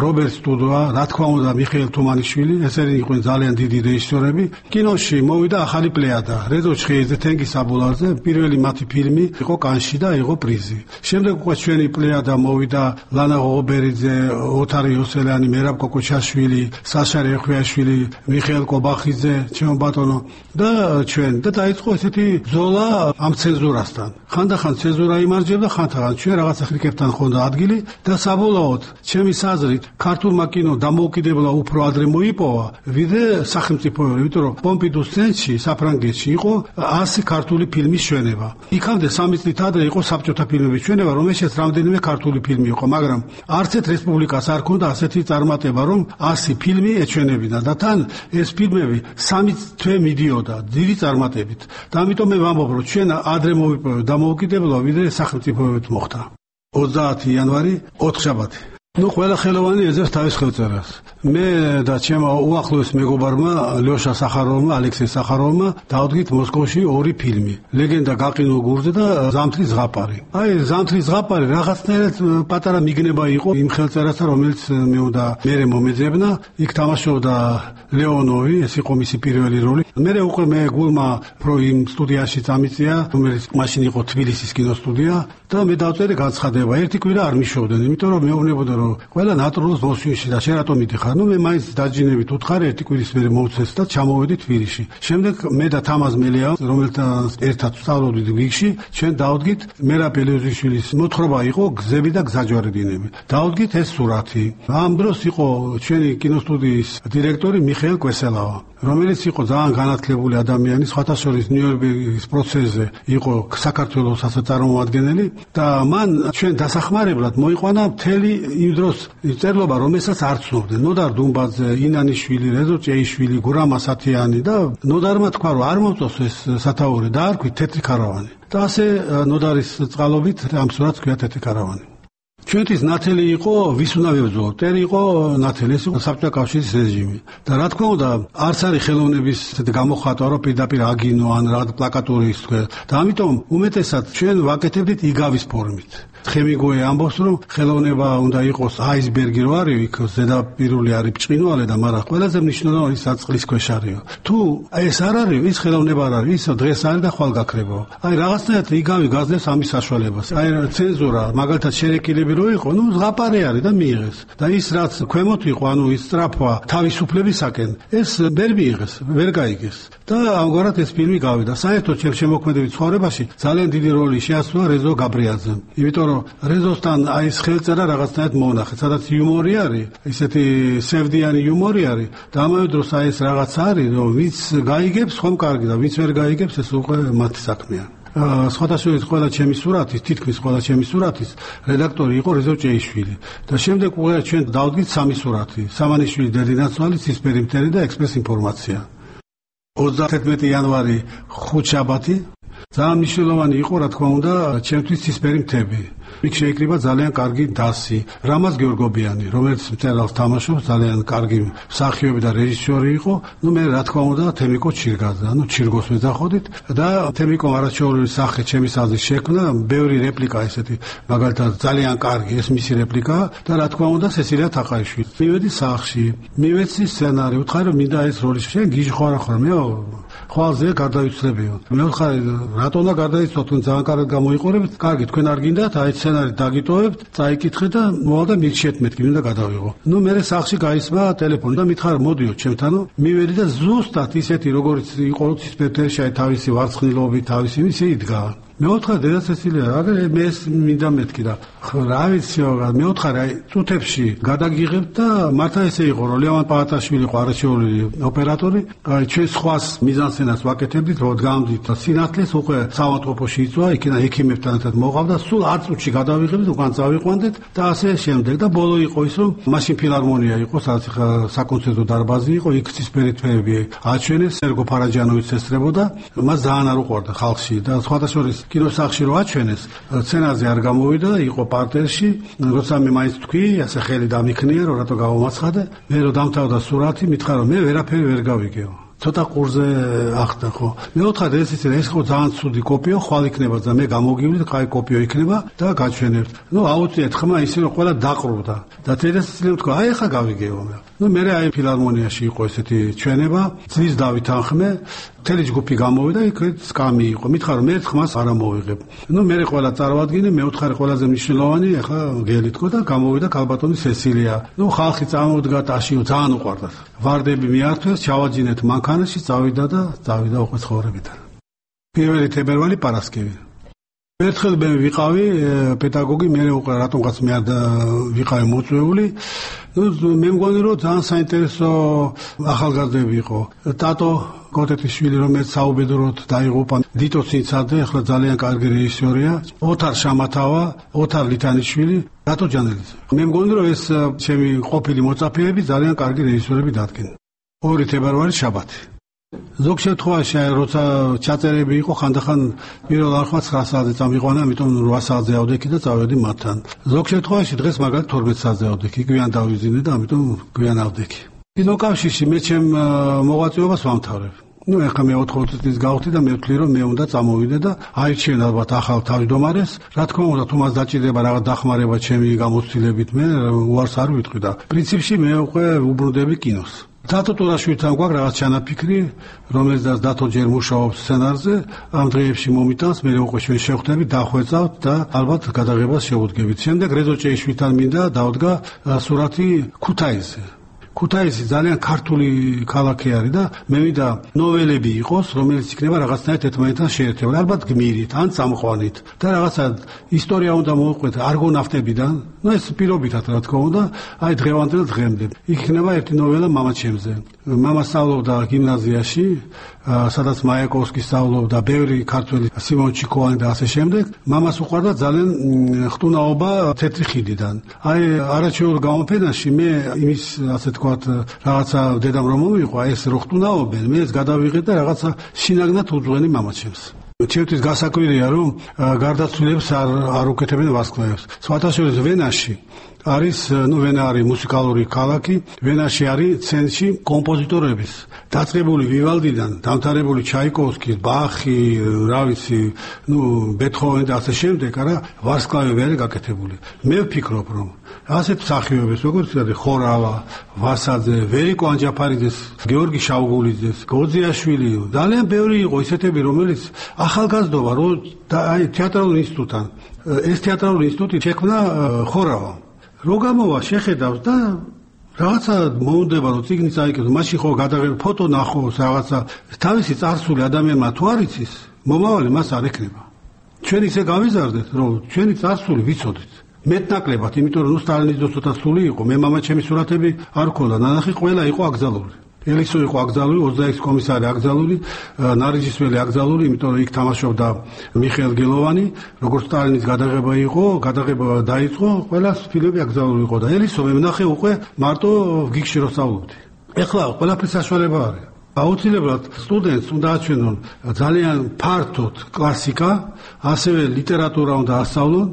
რობერტ სტუდვა, რა თქმა უნდა მიხეილ თუმანიშვილი, ესენი იყვნენ ძალიან დიდი რეჟისორები. კინოში მოვიდა ახალი პლეადა, რეზო ჩხეიძე, თენგიზ აბულაძე, პირველი მათი ფილმი იყო კანში და იყო პრიზი. შემდეგ უკვე ჩვენი პლეადა მოვიდა ლანა ღოღობერიძე, ოთარ იოსელიანი, მერაბ კოკოჩაშვილი, საშა რეხვიაშვილი, მიხეილ კობახიძე, ჩემო ბატონო და ჩვენ და დაიწყო ესეთი ბრძოლა ამ ცენზურასთან. ხანდახან ცენზურა იმარჯვებდა, ხანდახან ჩვენ რაღაცა ხრიკებთან ხონდა ადგილი და საბოლოოდ ჩემი საზრით ქართულმა კინომ დამოუკიდებლა უფრო ადრე მოიპოვა, ვიდრე სახელმწიფოებრივ, იმიტომ რომ პომპიდუს ცენტრში, საფრანგეთში იყო 100 ქართული ფილმის ჩვენება. იქამდე 3 წლით ადრე იყო საბჭოთა ფილმების ჩვენება, რომელშიც რამდენიმე ქართული ფილმი იყო, მაგრამ არც ერთ რესპუბლიკას არ ქონდა ასეთი წარმატება, რომ 100 ფილმი ეჩვენებინა და თან ეს ფილმები 3 თვე მიდიოდა დიდი წარმატებით. და ამიტომ მე ვამბობ, რომ ჩვენ ადრე მოვიპოვეთ დამოუკიდებლობა, ვიდრე სახელმწიფოებრივ მოხდა. 30 იანვარი, ოთხშაბათი. ყველა ხელოვანი ეძებს თავის ხელწერას. მე და ჩემო უახლოეს მეგობარმა ლიოშა სახაროვმა, ალექსეი სახაროვმა დავდგით მოსკოვში 2 ფილმი. ლეგენდა გაყინულ გურზე და ზამთრის ზღაპარი. ზამთრის ზღაპარი რაღაცნაირად პატარა მიგნება იყო იმ ხელწერასთან, რომელიც მე უნდა მერე მომეძებნა. იქ თამაშობდა ლეონოვი, ეს იყო მისი პირველი როლი. მერე უკვე მე გულმა პრო იმ სტუდიაში წამიწია, რომელიც მაშინ იყო თბილისის კინოსტუდია და მე დავწერე განცხადება. ერთი კვირა არ მიშოვდნენ, იმიტომ რომ მეუბნებოდა ყველა ნატურალს მოსვიში და შენ რატომ მიდიხარ? მე მაინც დაჯინებით უთხარი ერთი კვირის მერე მოვცეს და ჩამოვედი თბილისში. შემდეგ მე და თამაზ მელია, რომელთან ერთად ვსწავლობდით ვიგში, ჩვენ დავდგით მერაბ ელეოზიშვილის მოთხრობა იყო გზები და გზაჯვარედინები. დავდგით ეს სურათი. ამ დროს იყო ჩვენი კინოსტუდიის დირექტორი მიხეილ კვესელავა, რომელიც იყო ძალიან განათლებული ადამიანი, სხვათა შორის ნიუ-იორკის პროცესზე იყო საქართველოს წარმომადგენელი და მან ჩვენ დასახმარებლად მოიყვანა მთელი იმ დროს წერლობა, რომელსაც არ ცნობდნენ. ნოდარ დუმბაძე, ინანიშვილი, რეზო ჭეიშვილი, გურამ ასათიანი და ნოდარმა თქვა, რომ არ მომწონს ეს სათაური და არქვით თეთრი ქარავანი. და ასე ნოდარის წყალობით ამ სურათს ქვია თეთრი ქარავანი. ჩვენთვის ნათელი იყო ვის უნდა ვებრძოლოთ. ტერი იყო ნათელი, ეს იყო საბჭოთა კავშირის რეჟიმი. და რა თქმა უნდა, არც არის ხელოვნების გამოხატვა, რომ პირდაპირ აგინო ან რა პლაკატური ის თქვა. და ამიტომ უმეტესად ჩვენ ვაკეთებდით იგავის ფორმით. ხემიგოე ამბობს, რომ ხელოვნება უნდა იყოს აისბერგი რო არის, იქ ზედაპირული არის ბრწყინვალე და მაგრამ ყველაზე მნიშვნელოვანი საწყლის ქვეშ არის. თუ ეს არ არის, ის ხელოვნება არ არის, ის დღეს არის და ხვალ გაქრება. აი რაღაცნაირად იგავი გაძლევს ამის საშუალებას. აი ცენზურა, მაგალითად შერეკილები რო იყო, ნუ ზღაპარე არის და მიიღეს. და ის რაც ქვემოთ იყო, ანუ ის სწრაფვა თავისუფლებისაკენ, ეს ვერ მიიღეს, ვერ გაიგეს. და ამგვარად ეს ფილმი გავიდა. საერთოდ შემოქმედებით ცხოვრებაში ძალიან დიდი როლი შეასრულა რეზო გაბრიაძემ. იმიტომ რეზოსთან აი ეს ხელწერა რაღაცნაირად მონახეთ, სადაც იუმორი არის, ისეთი სევდიანი იუმორი არის და ამავე დროს აი ეს რაღაც არის, რომ ვინც გაიგებს, ხომ კარგი და ვინც ვერ გაიგებს, ეს უკვე მათი საქმეა. სხვადასხვა ყველა ჩემი სურათის, თითქმის ყველა ჩემი სურათის რედაქტორი იყო რეზო ჭეიშვილი. და შემდეგ უკვე ჩვენ დავდგით სამი სურათი: სამანიშვილი, დედინაცვალი, ცისფერი მტერი და ექსპრეს ინფორმაცია. 31 იანვარი ხუთშაბათი ძალიან მნიშვნელოვანი იყო, რა თქმა უნდა, ჩემთვის ცისფერი მთები. იქ შეიკრიბა ძალიან კარგი დასი, რამაზ გეორგობიანი, რომელიც მწერალს თამაშობს, ძალიან კარგი მსახიობი და რეჟისორი იყო. ნუ მე რა თქმა უნდა, თემიკო ჩირგაძე, ანუ ჩირგოს ვეძახოდით და თემიკო არაჩვეულებრივი სახე ჩემის აზრით შექმნა, ბევრი რეპლიკა ესეთი, მაგალითად ძალიან კარგი ეს მისი რეპლიკა და რა თქმა უნდა, სესილია თაყაიშვილი. მივედი სახლში, მივეცი სცენარი, ვთხარი რომ მინდა ეს როლი შენ გიჟი ხარ ახლა მე ხვალზე გარდავიცლებიო. მე ვთხარი რატომა გარდაიცვალ, თქვენ ძალიან კარგად გამოიყურებთ. კარგი, თქვენ არ გინდათ, აი სცენარი დაგიტოვებთ, წაიკითხე და მოვალ და მირჩიეთ მეთქი, მინდა გადავიღო. ნუ მე სახში გაისმა ტელეფონი და მითხარ მოდიო ჩემთანო. მივედი და ზუსტად ისეთი როგორც იყო ცისფერში თავისი ვარცხნილობით, თავისი ისე იდგა. მე ვთხარ დედა სესილია, აგერ მე მინდა მეთქი და რა ვიციო, მე ვთხარ აი წუთებში გადაგიღებ და მართა ესე იყო რომ ლევან პალატაშვილი იყო არაჩვეულური ოპერატორი, აი ჩვენ სხვას მიზანსცენას ვაკეთებდით, რომ გამდით სინათლეს უკვე საავადმყოფოში იწვა, იქიდან ექიმებთან ერთად მოყავდა, სულ 10 წუთში გადავიღებდით, უკან წავიყვანდეთ და ასე შემდეგ და ბოლო იყო ის რომ მაშინ ფილარმონია იყო, სადაც საკონცერტო დარბაზი იყო, იქ ცისფერი თვეები აჩვენეს, სერგო ფარაჯანოვიც ესწრებოდა, მას ძალიან არ უყვარდა ხალხში და სხვადასხვა კინოსახლში რო აჩვენეს, სცენარზე არ გამოვიდა, იყო პარტერში, როცა მე მაინც თქვი, ასე ხელი დამიქნია, რომ რატო გავამაცხადე, მე რო დამთავრდა სურათი, მითხრა რომ მე ვერაფერი ვერ გავიგეო. ცოტა ყურზე ახდა ხო. მე ვთხარ ეს ხო ძალიან ცუდი კოპიო, ხვალ იქნება და მე გამოგივლით, კაი კოპიო იქნება და გაჩვენებთ. ნუ აუწიეთ ხმა ისე რომ ყველა დაყრუდა. და თერესიძემ თქვა, აი ახლა გავიგეო მე. ნუ მე აი ფილარმონიაში იყო ესეთი ჩვენება, ძის დავით ანხმე, მთელი ჯგუფი გამოვიდა, იქ სკამი იყო. მითხარ რომ მე ხმას არ ამოვიღებ. ნუ მე ყველა წარვადგინე, მე ვთხარი ყველაზე მნიშვნელოვანი, ახლა გელი თქო და გამოვიდა ქალბატონი სესილია. ნუ ხალხი წამოვდგა ტაშიო, ძალიან უყვარდა. ვარდები მიართვეს, ჩავაჯინეთ მანქანაში, წავიდა და წავიდა უკვე ცხოვრებიდან. 1 თებერვალი პარასკევი. ერთხელ მე ვიყავი პედაგოგი, მე უკვე რატომღაც მე არ ვიყავი მოწვეული. მე მგონი რომ ძალიან საინტერესო ახალგაზრდები იყო. ტატო კოტეტიშვილი, რომელიც საუბედუროდ დაიღუპა, დიტო ცინცაძე, ახლა ძალიან კარგი რეჟისორია, ოთარ შამათავა, ოთარ ლითანიშვილი, რატო ჯანელიძე. მე მგონი რომ ეს ჩემი ყოფილი მოწაფეები ძალიან კარგი რეჟისორები დადგენ. 2 თებერვალი შაბათი. ზოგ შემთხვევაში როცა ჩაწერები იყო, ხანდახან პირველ არხმა 9 საათზე წამიყვანა, ამიტომ 8 საათზე ავდექი და წავედი მათთან. ზოგ შემთხვევაში დღეს მაგალითად 12 საათზე ავდექი, გვიან დავიზინე და ამიტომ გვიან ავდექი. კინოკავშირში მე ჩემ მოღვაწეობას ვამთავრებ. ნუ ახლა მე 80 წლის გავხდი და მე ვთვლი რომ მე უნდა წამოვიდე და აირჩიენ ალბათ ახალ თავმჯდომარეს. რა თქმა უნდა, თუ მას დაჭირდება რაღაც დახმარება ჩემი გამოცდილებით, მე უარს არ ვიტყვი და პრინციპში მე უკვე უბრუნდები კინოს. დათო ტურაშვილთან გვაქვს რაღაც ჩანაფიქრი, რომელიც დათო ჯერ მუშაობს სცენარზე, ამ დღეებში მომიტანს, მე უკვე ჩვენ შევხვდებით, დახვეწავთ და ალბათ გადაღებას შევუდგებით. შემდეგ რეზო ჭეიშვილთან მინდა დავდგა სურათი ქუთაისზე. ქუთაისი ძალიან ქართული ქალაქი არის და მე მინდა ნოველები იყოს, რომელიც იქნება რაღაცნაირად ერთმანეთთან შეერთებული, ალბათ გმირით, ან წამყვანით და რაღაცა ისტორია უნდა მოვყვეთ არგონავტებიდან, ნუ ეს პირობითად რა თქმა უნდა, აი დღევანდელ დღემდე. იქ იქნება ერთი ნოველა მამაჩემზე. მამა სწავლობდა გიმნაზიაში, სადაც მაიაკოვსკი სწავლობდა, ბევრი ქართველი, სიმონ ჩიკოვანი და ასე შემდეგ. მამას უყვარდა ძალიან ხტუნაობა თეთრი ხიდიდან. აი არაჩვეულ გამოფენაში მე იმის ასე თქვათ რაღაცა დედამ რომ მომიყვა ეს რო ხტუნაობენ, მე ეს გადავიღე და რაღაცა შინაგნად უძღვენი მამაჩემს. ჩემთვის გასაკვირია, რომ გარდაცვლილებს არ უკეთებენ ვარსკვლავებს. სხვათა შორის ვენაში არის, ვენა არის მუსიკალური ქალაქი, ვენაში არის ცენტრი კომპოზიტორების, დაწყებული ვივალდიდან, დამთავრებული ჩაიკოვსკის, ბახი, რა ვიცი, ბეთჰოვენი და ასე შემდეგ, არა, ვარსკვლავები არის გაკეთებული. მე ვფიქრობ, რომ ასეთ მსახიობებს, როგორც ხორავა, ვასაძე, ვერიკო ანჯაფარიძეს, გეორგი შავგულიძეს, გოძიაშვილი, ძალიან ბევრი იყო ისეთები, რომელიც ახალგაზრდობა, რომ აი თეატრალურ ინსტიტუტთან, ეს თეატრალური ინსტიტუტი შექმნა ხორავა. რო გამოვა შეხედავს და რაღაცა მოუნდება რომ წიგნი წაიკეთოს, მაშინ ხო გადაღება ფოტო ნახოს, რაღაცა თავისი წარსული ადამიანმა თუ არ იცის, მომავალი მას არ ექნება. ჩვენ ისე გავიზარდეთ, რომ ჩვენი წარსული ვიცოდეთ. მეტნაკლებად, იმიტომ რომ სტალინის დრო ცოტა სული იყო, მე მამა ჩემი სურათები არ ქონდა, ნანახი ყველა იყო აკრძალული. ელისო იყო აკრძალული, 26 კომისარი აკრძალული, ნარიჯისველი აკრძალული, იმიტომ რომ იქ თამაშობდა მიხეილ გელოვანი, როგორც სტალინის გადაღება იყო, გადაღება დაიწყო, ყველა ფილმები აკრძალული იყო და ელისო მე ვნახე უკვე მარტო გიგში რო სწავლობდი. ეხლა ყველაფრის საშუალება არის. აუცილებლად სტუდენტს უნდა აჩვენონ ძალიან ფართოდ კლასიკა, ასევე ლიტერატურა უნდა ასწავლონ,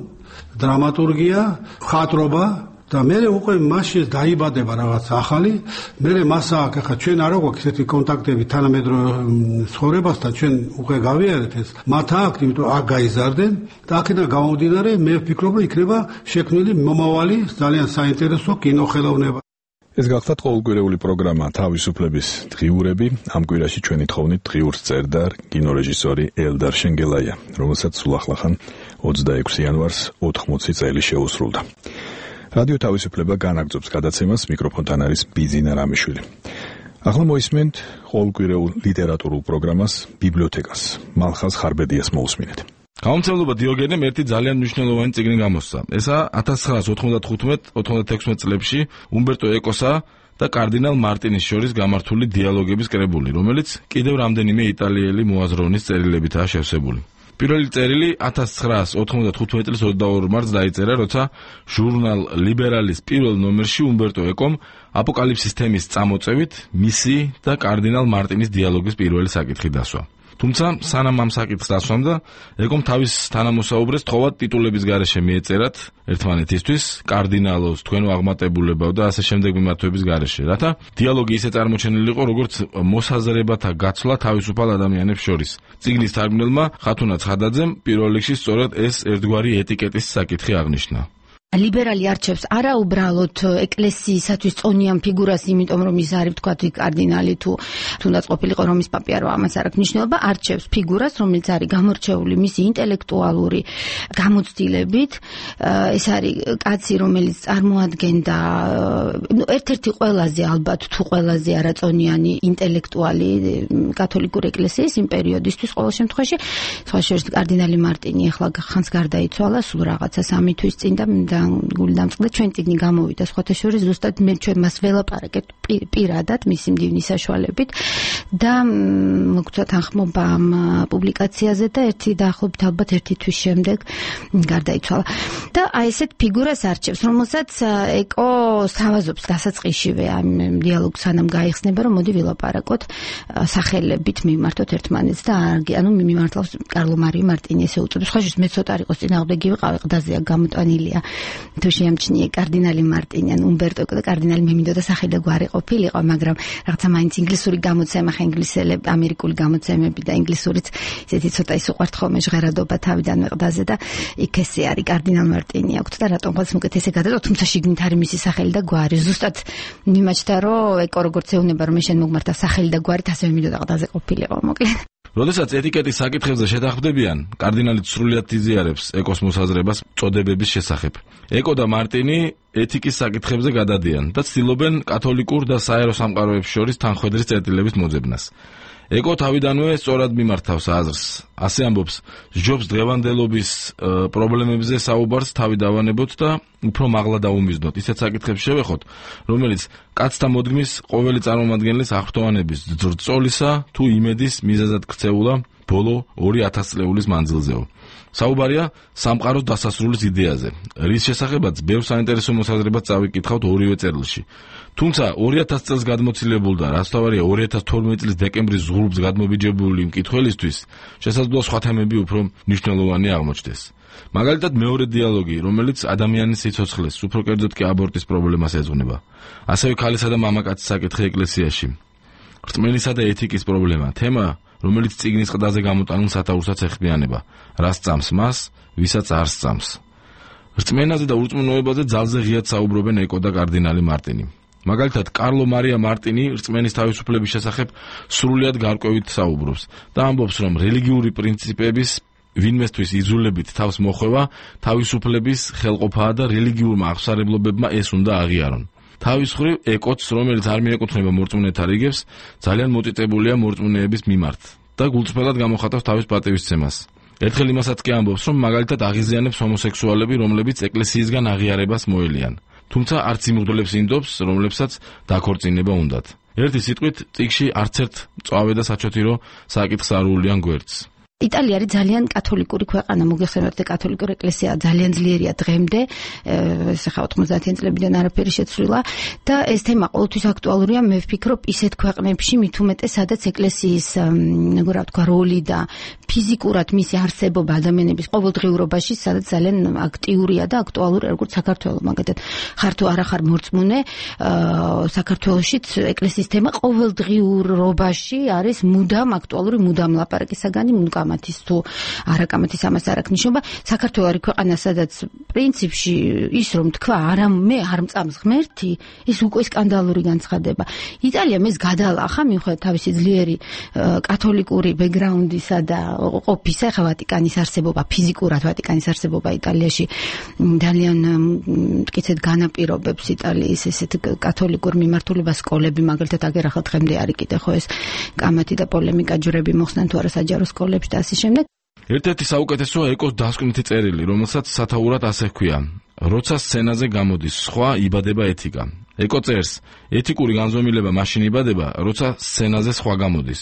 დრამატურგია, მხატვრობა და მე უკვე მასში დაიბადება რაღაც ახალი, მე მასა აქ ახლა ჩვენ არ გვაქვს ესეთი კონტაქტები თანამედროვე ცხოვრებასთან, ჩვენ უკვე გავიარეთ ეს. მათ აქვს, იმიტომ აქ გაიზარდნენ და აქედან გამომდინარე მე ვფიქრობ, რომ იქნება შექმნილი მომავალი ძალიან საინტერესო კინოხელოვნება. ეს გახლავთ ყოველკვირეული პროგრამა თავისუფლების დღიურები. ამ კვირაში ჩვენი თხოვნით დღიურს წერდა კინორეჟისორი ელდარ შენგელაია, რომელსაც სულ ახლახან 26 იანვარს 80 წელი შეუსრულდა. რადიო თავისუფლება განაგრძობს გადაცემას, მიკროფონთან არის ბიზინა რამიშვილი. ახლა მოისმენთ ყოველკვირეულ ლიტერატურულ პროგრამას ბიბლიოთეკას. მალხაზ ხარბედიას მოусმინეთ. გამომცემლობა დიოგენემ ერთი ძალიან მნიშვნელოვანი წიგნი გამოსცა. ესა 1995-96 წლებში უმბერტო ეკოსა და კარდინალ მარტინის შორის გამართული დიალოგების კრებული, რომელიც კიდევ რამდენიმე იტალიელი მოაზროვნის წერილებითაა შევსებული. პირველი წერილი 1995 წლის 22 მარტს დაიწერა, როცა ჟურნალ ლიბერალის პირველ ნომერში უმბერტო ეკომ აპოკალიფსის თემის წამოწევით მისი და კარდინალ მარტინის დიალოგის პირველი საკითხი დასვა. თუმცა სანამ ამ საკითხს დასვამდა, ეკომ თავის თანამოსაუბრეს თხოვად ტიტულების გარეშე მიეწერათ ერთმანეთისთვის, კარდინალოს, თქვენო აღმატებულებაო და ასე შემდეგ მიმართვების გარეშე, რათა დიალოგი ისე წარმოჩენილიყო, როგორც მოსაზრებათა გაცვლა თავისუფალ ადამიანებს შორის. წიგნის თარგმნელმა ხათუნა ცხადაძემ პირველ რიგში სწორედ ეს ერთგვარი ეტიკეტის საკითხი აღნიშნა. ლიბერალი არჩევს არა უბრალოდ ეკლესიისათვის წონიან ფიგურას, იმიტომ რომ ის არის თქვათ კარდინალი თუ თუნდაც ყოფილიყო რომის პაპი არა, ამას არ აქვს მნიშვნელობა, არჩევს ფიგურას, რომელიც არის გამორჩეული მისი ინტელექტუალური გამოცდილებით. ეს არის კაცი, რომელიც წარმოადგენდა ერთ-ერთი ყველაზე ალბათ თუ ყველაზე არაწონიანი ინტელექტუალი კათოლიკური ეკლესიის იმ პერიოდისთვის ყოველ შემთხვევაში. სხვა შორის კარდინალი მარტინი ახლა ხანს გარდაიცვალა, სულ რაღაცა 3 თვის წინ და გული დამწყდა ჩვენ წიგნი გამოვიდა სხვათა შორის ზუსტად მე ჩვენ მას ველაპარაკეთ პირადად მისი მდივნის საშუალებით და მოგწვა თანხმობა ამ პუბლიკაციაზე და ერთი დაახლოებით ალბათ 1 თვის შემდეგ გარდაიცვალა და აი ესეთ ფიგურას არჩევს, რომელსაც ეკო სთავაზობს დასაწყისშივე ამ დიალოგს სანამ გაიხსნება, რომ მოდი ვილაპარაკოთ სახელებით მიმართოთ ერთმანეთს და ანუ მიმართავს კარლო მარიო მარტინი ესე უწოდებს. ხაშის მე ცოტა არ იყოს წინააღმდეგი ვიყავი, ყდაზეა გამოტანილია თუ შეამჩნიე კარდინალი მარტინი ან უმბერტო ეკო და კარდინალი მე მინდოდა სახელი და გვარი ყოფილიყო, მაგრამ რაღაცა მაინც ინგლისური გამოცემა, ხა ინგლისელები, ამერიკული გამოცემები და ინგლისურიც ისეთი ცოტა ის უყვართ ხოლმე ჟღერადობა თავიდან ყდაზე და იქ ესე არის კარდინალ მარტინი აქვს და რატომღაც მოკეთ ესე გადადო, თუმცა შიგნით არის მისი სახელი და გვარი. ზუსტად მიმაჩნდა რომ ეკო როგორც ეუბნება რომ მე შენ მოგმართა სახელი და გვარით, ასევე მინდოდა ყდაზე ყოფილიყო მოკლედ. როდესაც ეტიკეტის საკითხებზე შეთანხმდებიან, კარდინალი სრულიად იზიარებს ეკოს მოსაზრებას წოდებების შესახებ. ეკო და მარტინი ეთიკის საკითხებზე გადადიან და ცდილობენ კათოლიკურ და საერო სამყაროებს შორის თანხვედრის წერტილების მოძებნას. ეკო თავიდანვე სწორად მიმართავს აზრს. ასე ამბობს, ჯობს დღევანდელობის პრობლემებზე საუბარს თავი დავანებოთ და უფრო მაღლა დაუმიზნოთ. ისეთ საკითხებს შევეხოთ, რომელიც კაცთა მოდგმის ყოველი წარმომადგენლის აღფრთოვანების ძრწოლისა თუ იმედის მიზეზად ქცეულა ბოლო 2000 წლეულის მანძილზეო. საუბარია სამყაროს დასასრულის იდეაზე, რის შესახებაც ბევრ საინტერესო მოსაზრებას წავიკითხავთ ორივე წერილში. თუმცა 2000 წელს გადმოცილებული და რაც თავარია 2012 წლის დეკემბრის ზღურბს გადმობიჯებული მკითხველისთვის შესაძლოა სხვა თემები უფრო მნიშვნელოვანი აღმოჩნდეს. მაგალითად მეორე დიალოგი, რომელიც ადამიანის სიცოცხლეს, უფრო კერძოდ კი აბორტის პრობლემას ეძღვნება. ასევე ქალისა და მამაკაცის საკითხი ეკლესიაში. რწმენისა და ეთიკის პრობლემა, თემა, რომელიც წიგნის ყდაზე გამოტანილ სათაურსაც ეხმიანება, რას წამს მას, ვისაც არ სწამს. რწმენაზე და ურწმუნოებაზე ძალზე ღიად საუბრობენ ეკო და კარდინალი მარტინი. მაგალითად, კარლო მარია მარტინი რწმენის თავისუფლების შესახებ სრულიად გარკვევით საუბრობს და ამბობს, რომ რელიგიური პრინციპების ვინმესთვის იძულებით თავს მოხვევა თავისუფლების ხელყოფაა და რელიგიურმა აღსარებლობებმა ეს უნდა აღიარონ. თავის მხრივ ეკოც, რომელიც არ მიეკუთვნება მორწმუნეთა რიგებს, ძალიან მოწიწებულია მორწმუნეების მიმართ და გულწრფელად გამოხატავს თავის პატივისცემას. ერთხელ იმასაც კი ამბობს, რომ მაგალითად აღიზიანებს ჰომოსექსუალები, რომლებიც ეკლესიისგან აღიარებას მოელიან. თუმცა არც იმ მღვდლებს ინდობს, რომლებსაც დაქორწინება უნდათ. ერთი სიტყვით, წიგში არც ერთ მწვავე და საჩოთირო საკითხს არ უვლიან გვერდს. იტალია არის ძალიან კათოლიკური ქვეყანა, მოგეხსენებათ და კათოლიკური ეკლესია ძალიან ძლიერია დღემდე, ახლა 90-იან წლებიდან არაფერი შეცვლილა და ეს თემა ყოველთვის აქტუალურია, მე ვფიქრობ, ისეთ ქვეყნებში მით უმეტეს, სადაც ეკლესიის, რა ვთქვა, როლი და ფიზიკურად მისი არსებობა ადამიანების ყოველდღიურობაში, სადაც ძალიან აქტიურია და აქტუალური, როგორც საქართველოს, მაგალითად, ხარ თუ არა ხარ მორწმუნე, საქართველოშიც ეკლესიის თემა ყოველდღიურობაში არის მუდამ აქტუალური, მუდამ ლაპარაკის საგანი, მუდამ კამათის თუ არაკამათის ამას არ აქვს ნიშნობა. საქართველო არის ქვეყანა, სადაც პრინციპში ის რომ თქვა, არა მე არ მწამს ღმერთი, ის უკვე სკანდალური განცხადება. იტალია მეს გადალახა მიუხედავად თავისი ძლიერი კათოლიკური ბექგრაუნდისა და ყოფისა, ხა ვატიკანის არსებობა, ფიზიკურად ვატიკანის არსებობა იტალიაში ძალიან მტკიცედ განაპირობებს იტალიის ესეთ კათოლიკურ მიმართულებას, სკოლები მაგალითად აგერ ახლა დღემდე არის კიდე ხო ეს კამათი და პოლემიკა ჯვრები მოხსნან თუ არა საჯარო სკოლებში და ასე შემდეგ. ერთ-ერთი საუკეთესოა ეკოს დასკვნითი წერილი, რომელსაც სათაურად ასე ჰქვია: როცა სცენაზე გამოდის სხვა, იბადება ეთიკა. ეკო წერს: ეთიკური განზომილება მაშინ იბადება, როცა სცენაზე სხვა გამოდის.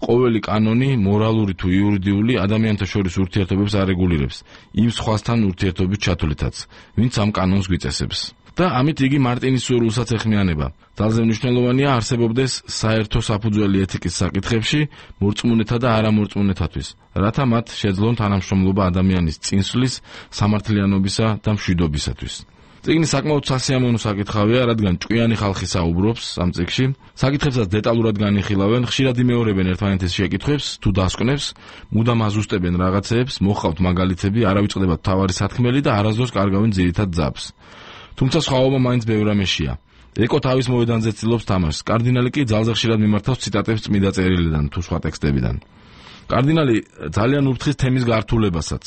ყოველი კანონი, მორალური თუ იურიდიული, ადამიანთა შორის ურთიერთობებს არეგულირებს, იმ სხვასთან ურთიერთობის ჩათვლითაც, ვინც ამ კანონს გვიწესებს. და ამით იგი მარტინის სურვილსაც ეხმიანება. ძალზე მნიშვნელოვანია არსებობდეს საერთო საფუძველი ეთიკის საკითხებში მორწმუნეთა და არამორწმუნეთათვის, რათა მათ შეძლონ თანამშრომლობა ადამიანის წინსვლის, სამართლიანობისა და მშვიდობისათვის. წიგნი საკმაოდ სასიამოვნო საკითხავია, რადგან ჭკვიანი ხალხი საუბრობს ამ წიგნში, საკითხებსაც დეტალურად განიხილავენ, ხშირად იმეორებენ ერთმანეთის შეკითხვებს თუ დასკვნებს, მუდამ აზუსტებენ რაღაცეებს, მოჰყავთ მაგალითები, არავიწყდებათ მთავარი სათქმელი და არასდროს კარგავენ ძირითად ძაბს. თუმცა სხვაობა მაინც ბევრ რამეშია. ეკო თავის მოედანზე ცდილობს თამაშს, კარდინალი კი ძალზე ხშირად მიმართავს ციტატებს წმიდა წერილიდან თუ სხვა ტექსტებიდან. კარდინალი ძალიან ურთხის თემის გართულებასაც,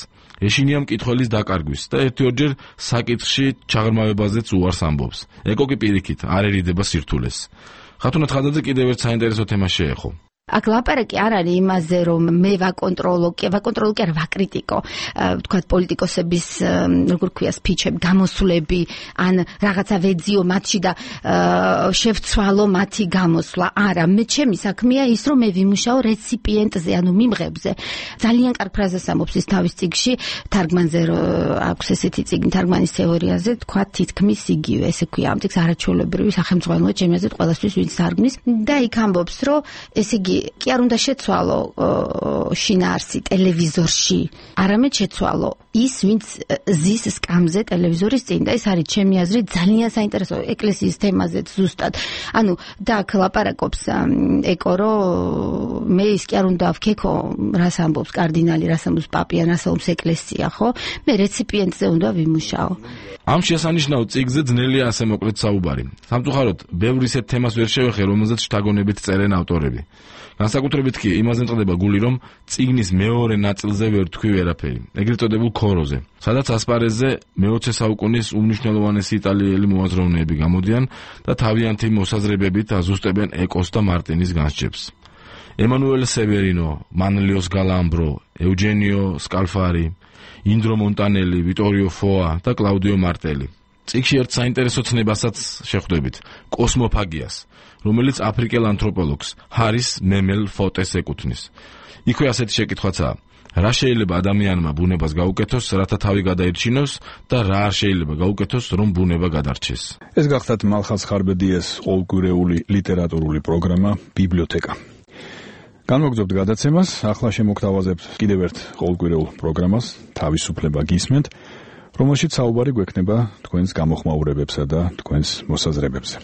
ეშინია მკითხველის დაკარგვის და ერთ-ორჯერ საკითხში ჩაღრმავებაზეც უარს ამბობს. ეკო კი პირიქით არ ერიდება სირთულეს. ხათუნა თხადაძე კიდევ ერთ საინტერესო თემას შეეხო. აქ ლაპარაკი არ არის იმაზე, რომ მე ვაკონტროლო კი არ ვაკრიტიკო, თქვათ პოლიტიკოსების, როგორ ქვია, სპიჩები, გამოსვლები, ან რაღაცა ვეძიო მათში და შევცვალო მათი გამოსვლა. არა, მე ჩემი საქმეა ის, რომ მე ვიმუშაო რეციპიენტზე, ანუ მიმღებზე. ძალიან კარგ ფრაზას ამბობს ის თავის წიგნში, თარგმანზე აქვს ესეთი წიგნი თარგმანის თეორიაზე, თქვათ თითქმის იგივე, ესე ქვია, ამ წიგნს არაჩვეულებრივი სახელმძღვანელოა ჩემი აზრით ყველასთვის ვინც თარგმნის და იქ ამბობს, რომ ესე იგი კი არ უნდა შეცვალო შინაარსი ტელევიზორში, არამედ შეცვალო ის, ვინც ზის სკამზე ტელევიზორის წინ და ეს არის ჩემი აზრით ძალიან საინტერესო ეკლესიის თემაზეც ზუსტად. ანუ და აქ ლაპარაკობს ეკო, რომ მე ის კი არ უნდა ვქეკო, რას ამბობს კარდინალი, რას ამბობს პაპია, რას ამბობს ეკლესია, ხო? მე რეციპიენტზე უნდა ვიმუშაო. ამ შესანიშნავ წიგნზე ძნელია ასე მოკლედ საუბარი. სამწუხაროდ, ბევრ ისეთ თემას ვერ შევეხე, რომელზეც შთაგონებით წერენ ავტორები. განსაკუთრებით კი იმაზე მწყდება გული, რომ წიგნის მეორე ნაწილზე ვერ თქვი ვერაფერი, ეგრეთ წოდებულ ქოროზე, სადაც ასპარეზზე მე-20 საუკუნის უმნიშვნელოვანესი იტალიელი მოაზროვნეები გამოდიან და თავიანთი მოსაზრებებით აზუსტებენ ეკოს და მარტინის განსჯებს. ემანუელ სევერინო, მანლიოს გალამბრო, ეუჯენიო სკალფარი, ინდრო მონტანელი, ვიტორიო ფოა და კლაუდიო მარტელი. წიგნში ერთ საინტერესო ცნებასაც შეხვდებით, კოსმოფაგიას, რომელიც აფრიკელ ანთროპოლოგს ჰარის მემელ ფოტეს ეკუთვნის. იქვე ასეთი შეკითხვაცაა: რა შეიძლება ადამიანმა ბუნებას გაუკეთოს, რათა თავი გადაირჩინოს და რა არ შეიძლება გაუკეთოს, რომ ბუნება გადარჩეს. ეს გახდათ მალხაზ ხარბედიას ყოველკვირეული ლიტერატურული პროგრამა ბიბლიოთეკა. განმოგრძობთ გადაცემას, ახლა შემოგთავაზებთ კიდევ ერთ ყოველკვირეულ პროგრამას, თავისუფლება გისმენთ, რომელშიც საუბარი გვექნება თქვენს გამოხმაურებებსა და თქვენს მოსაზრებებზე.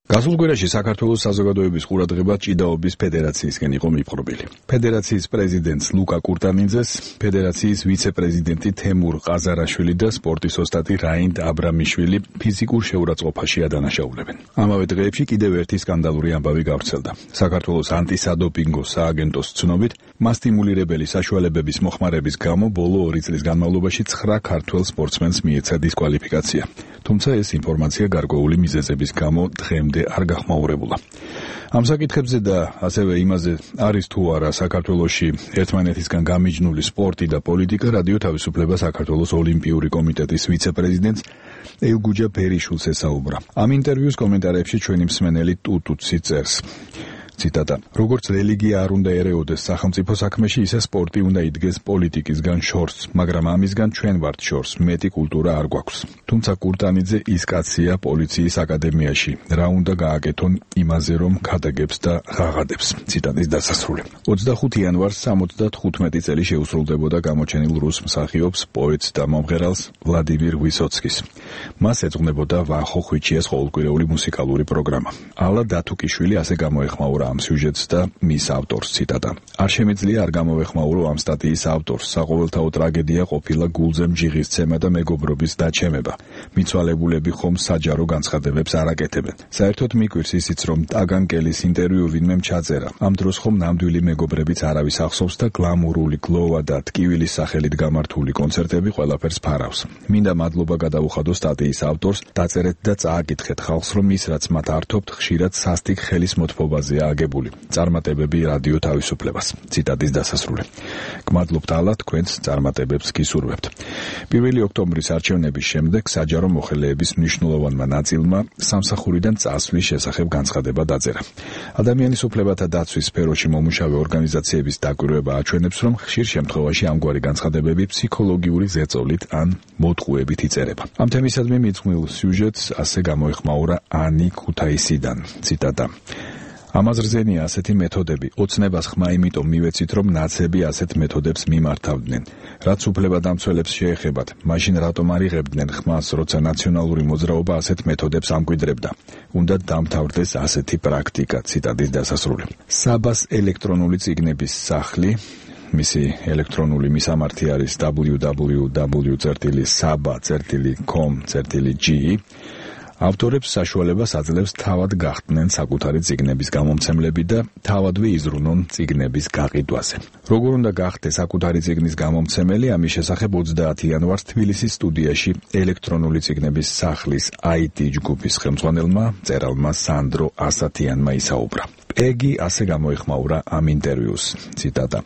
გასულ კვირაში საქართველოს საზოგადოების ყურადღება ჭიდაობის ფედერაციისგან იყო მიპყრობილი. ფედერაციის პრეზიდენტს ლუკა კურტანიძეს, ფედერაციის ვიცე-პრეზიდენტი თემურ ყაზარაშვილი და სპორტის ოსტატი რაინდ აბრამიშვილი ფიზიკურ შეურაცხყოფაში ადანაშაულებენ. ამავე დღეებში კიდევ ერთი სკანდალური ამბავი გავრცელდა. საქართველოს ანტისადოპინგო სააგენტოს ცნობით, მასტიმულირებელი საშუალებების მოხმარების გამო ბოლო 2 წლის განმავლობაში 9 ქართველ სპორტსმენს მიეცა დისკვალიფიკაცია. თუმცა ეს ინფორმაცია გარკვეული მიზეზების გამო დღემდე არ გახმაურებულა. ამ საკითხებზე და ასევე იმაზე არის თუ არა საქართველოში ერთმანეთისგან გამიჯნული სპორტი და პოლიტიკა რადიო თავისუფლება საქართველოს ოლიმპიური კომიტეტის ვიცე-პრეზიდენტს ელგუჯა ბერიშვილს ესაუბრა. ამ ინტერვიუს კომენტარებში ჩვენი მსმენელი ტუტუცი წერს. ციტატა: როგორც რელიგია არ უნდა ერეოდეს სახელმწიფო საქმეში, ისე სპორტი უნდა იდგეს პოლიტიკისგან შორს, მაგრამ ამისგან ჩვენ ვართ შორს, მეტი კულტურა არ გვაქვს. თუმცა კურტანიძე ის კაცია პოლიციის აკადემიაში, რა უნდა გააკეთონ იმაზე, რომ ქადაგებს და ღაღადებს. ციტატის დასასრული. 25 იანვარს 75 წელი შეუსრულდებოდა გამოჩენილ რუს მსახიობს, პოეტს და მომღერალს ვლადიმირ ვისოცკის. მას ეძღვნებოდა ვახო ხვიჩიას ყოველკვირეული მუსიკალური პროგრამა. ალა დათუკიშვილი ასე გამოეხმაურა ამ სიუჟეტს და მის ავტორს. ციტატა: არ შემიძლია არ გამოვეხმაურო ამ სტატიის ავტორს. საყოველთაო ტრაგედია ყოფილა გულზე მჯიღისცემა და მეგობრობის დაჩემება. მიცვალებულები ხომ საჯარო განცხადებებს არ აკეთებენ. საერთოდ მიკვირს ისიც, რომ ტაგანკელის ინტერვიუ ვინმემ ჩაწერა. ამ დროს ხომ ნამდვილი მეგობრებიც არავის ახსოვს და გლამურული გლოვა და ტკივილის სახელით გამართული კონცერტები ყველაფერს ფარავს. მინდა მადლობა გადაუხადო სტატიის ავტორს, დაწერეთ და წააკითხეთ ხალხს, რომ ის რაც მათ ართობთ, ხშირად სასტიკ ხელის მოთფობაზეა აგებული. წარმატებები რადიო თავისუფლებას. ციტატის დასასრული. გმადლობთ ალა, თქვენს წარმატებებს გისურვებთ. 1 ოქტომბრის არჩევნების შემდეგ საჯარო მოხელეების მნიშვნელოვანმა ნაწილმა სამსახურიდან წასვლის შესახებ განცხადება დაწერა. ადამიანის უფლებათა დაცვის სფეროში მომუშავე ორგანიზაციების დაკვირვება აჩვენებს, რომ ხშირ შემთხვევაში ამგვარი განცხადებები ფსიქოლოგიური ზეწოლით ან მოტყუებით იწერება. ამ თემისადმი მიძღვნილ სიუჟეტს ასე გამოეხმაურა ანი ქუთაისიდან. ციტატა: ამაზრზენია ასეთი მეთოდები. ოცნებას ხმა იმიტომ მივეცით, რომ ნაცები ასეთ მეთოდებს მიმართავდნენ. რაც უფლებადამცველებს შეეხებათ, მაშინ რატომ არ იღებდნენ ხმას, როცა ნაციონალური მოძრაობა ასეთ მეთოდებს ამკვიდრებდა? უნდა დამთავრდეს ასეთი პრაქტიკა. ციტატის დასასრული. საბას ელექტრონული წიგნების სახლი, მისი ელექტრონული მისამართი არის www.saba.com.g ავტორებს საშუალებას აძლევს თავად გახდნენ საკუთარი წიგნების გამომცემლები და თავადვე იზრუნონ წიგნების გაყიდვაზე. როგორ უნდა გახდეს საკუთარი წიგნის გამომცემელი, ამის შესახებ 30 იანვარს თბილისის სტუდიაში ელექტრონული წიგნების სახლის IT ჯგუფის ხელმძღვანელმა მწერალმა სანდრო ასათიანმა ისაუბრა. პეგი ასე გამოეხმაურა ამ ინტერვიუს. ციტატა: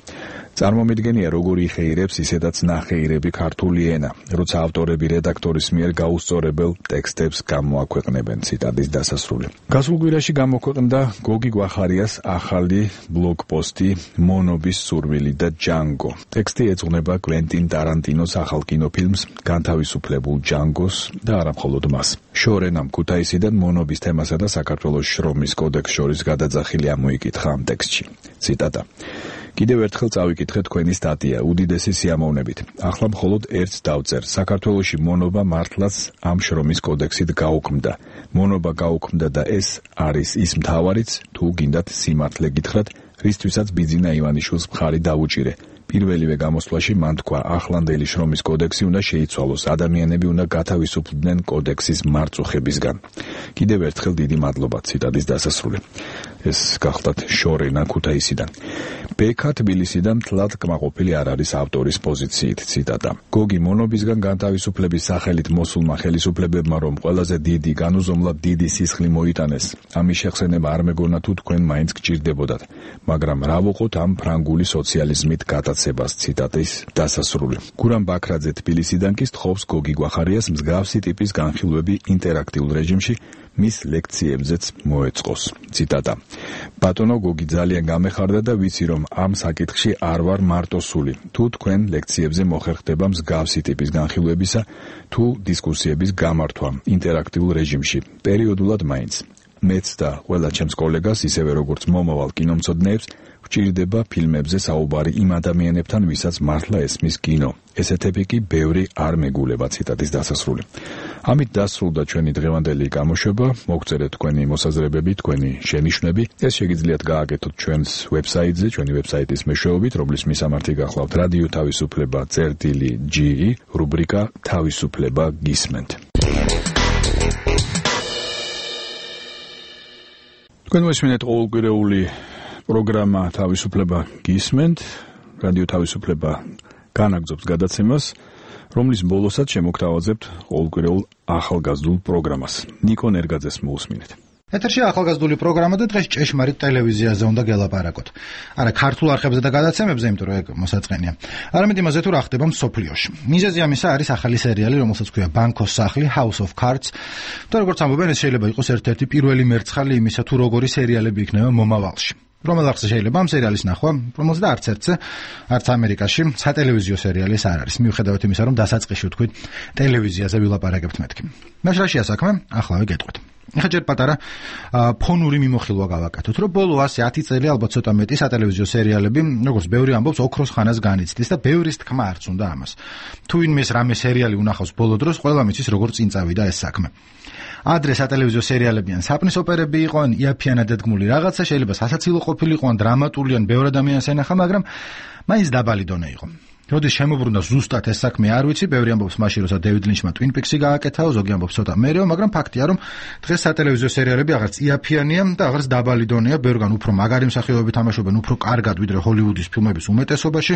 წარმომიდგენია, როგორ იხეირებს ისედაც ნახეირები ქართული ენა, როცა ავტორები რედაქტორის მიერ გაუსწორებელ ტექსტებს გამოაქვეყნებენ. ციტატის დასასრული. გასულ კვირაში გამოქვეყნდა გოგი გვახარიას ახალი ბლოგპოსტი მონობის სურვილი და ჯანგო. ტექსტი ეძღვნება კვენტინ ტარანტინოს ახალ კინოფილმს განთავისუფლებულ ჯანგოს და არა მხოლოდ მას. შორენამ ქუთაისიდან მონობის თემასა და საქართველოს შრომის კოდექსს შორის გადაძახილი ამოიკითხა ამ ტექსტში. ციტატა: კიდევ ერთხელ წავიკითხეთ თქვენი სტატია უდიდესი სიამოვნებით. ახლა მხოლოდ ერთს დავწერ. საქართველოში მონობა მართლაც ამ შრომის კოდექსით გაუქმდა. მონობა გაუქმდა და ეს არის ის მთავარიც, თუ გინდათ სიმართლე გითხრათ, რისთვისაც ბიძინა ივანიშვილს მხარი დაუჭირე. პირველივე გამოსვლაში მან თქვა, ახლანდელი შრომის კოდექსი უნდა შეიცვალოს, ადამიანები უნდა გათავისუფლდნენ კოდექსის მარწუხებისგან. კიდევ ერთხელ დიდი მადლობა. ციტატის დასასრული. ეს გახლდათ შორენა ქუთაისიდან. ბექა თბილისიდან მთლად კმაყოფილი არ არის ავტორის პოზიციით. ციტატა. გოგი მონობისგან განთავისუფლების სახელით მოსულმა ხელისუფლებებმა რომ ყველაზე დიდი განუზომლად დიდი სისხლი მოიტანეს, ამის შეხსენება არ მეგონა თუ თქვენ მაინც გჭირდებოდათ, მაგრამ რა ვუყოთ ამ ფრანგული სოციალიზმით გატაცებას. ციტატის დასასრული. გურამ ბაქრაძე თბილისიდან კი სთხოვს გოგი გვახარიას მსგავსი ტიპის განხილვები ინტერაქტიულ რეჟიმში მის ლექციებზეც მოეწყოს. ციტატა. ბატონო გოგი ძალიან გამეხარდა და ვიცი რომ ამ საკითხში არ ვარ მარტოსული. თუ თქვენ ლექციებზე მოხერხდება მსგავსი ტიპის განხილვებისა თუ დისკუსიების გამართვა ინტერაქტიულ რეჟიმში, პერიოდულად მაინც. მეც და ყველა ჩემს კოლეგას, ისევე როგორც მომავალ კინომცოდნეებს, გვჭირდება ფილმებზე საუბარი იმ ადამიანებთან, ვისაც მართლა ესმის კინო. ესეთები კი ბევრი არ მეგულება. ციტატის დასასრული. ამით დასრულდა ჩვენი დღევანდელი გამოშვება. მოგწერეთ თქვენი მოსაზრებები, თქვენი შენიშვნები. ეს შეგიძლიათ გააკეთოთ ჩვენს ვებსაიტზე, ჩვენი ვებსაიტის მეშვეობით, რომლის მისამართი გახლავთ რადიო თავისუფლება წერტილი.ge, რუბრიკა თავისუფლება გისმენთ. თქვენ მოსმინეთ ყოველკვირეული პროგრამა თავისუფლება გისმენთ. რადიო თავისუფლება განაგრძობს გადაცემას, რომლის ბოლოსაც შემოგთავაზებთ ყოველკვირეულ ახალგაზრდულ პროგრამას. ნიკო ნერგაძეს მოусმინეთ. ეთერში ახალგაზრდული პროგრამა და დღეს ჭეშმარიტ ტელევიზიაზე უნდა გელაპარაკოთ. არა ქართულ არხებზე და გადაცემებზე, იმიტომ რომ ეგ მოსაწყენია. არამედ იმაზე თუ რა ხდება მსოფლიოში. მიზეზი ამისა არის ახალი სერიალი, რომელსაც ქვია ბანკოს სახლი, House of Cards. და როგორც ამბობენ, ეს შეიძლება იყოს ერთ-ერთი პირველი მერცხალი იმისა, თუ როგორი სერიალები იქნება მომავალში. რომელ ახსე შეიძლება ამ სერიალის ნახვა, რომელზეც არც ერთზე, არც ამერიკაში სატელევიზიო სერიალი ეს არ არის. მიუხედავად იმისა, რომ დასაწყისში ვთქვით, ტელევიზიაზე ვილაპარაკებთ მეთქი. მაშრაშია საქმე, ახლავე გეტყვით. ეხლა ჯერ პატარა ფონური მიმოხილვა გავაკეთოთ, რომ ბოლო 110 წელი ალბათ ცოტა მეტი სატელევიზიო სერიალები, როგორც ბევრი ამბობს, ოქროს ხანას განიცდის და ბევრის თქმა არც უნდა ამას. თუ ვინმეს რამე სერიალი უნახავს ბოლო დროს, ყველა მიცის როგორ წინ წავიდა ეს საქმე. ადრე სატელევიზიო სერიალები ან საპნის ოპერები იყო, ან იაფიანად დადგმული რაღაცა, შეიძლება სასაცილო ყოფილიყო, ან დრამატული, ან ბევრ ადამიანს ენახა, მაგრამ მაინც დაბალი დონე იყო. როდის შემოbrunდა ზუსტად ეს საქმე არ ვიცი, ბევრი ამბობს მაშინ, როცა დევიდ ლინჩმა Twin Peaks-ი გააკეთაო, ზოგი ამბობს ცოტა მერეო, მაგრამ ფაქტია, რომ დღეს სატელევიზიო სერიალები აღარც იაფიანია და აღარც დაბალი დონეა, ბევრგან უფრო მაგარი მსახიობები თამაშობენ, უფრო კარგად ვიდრე ჰოლივუდის ფილმების უმეტესობაში.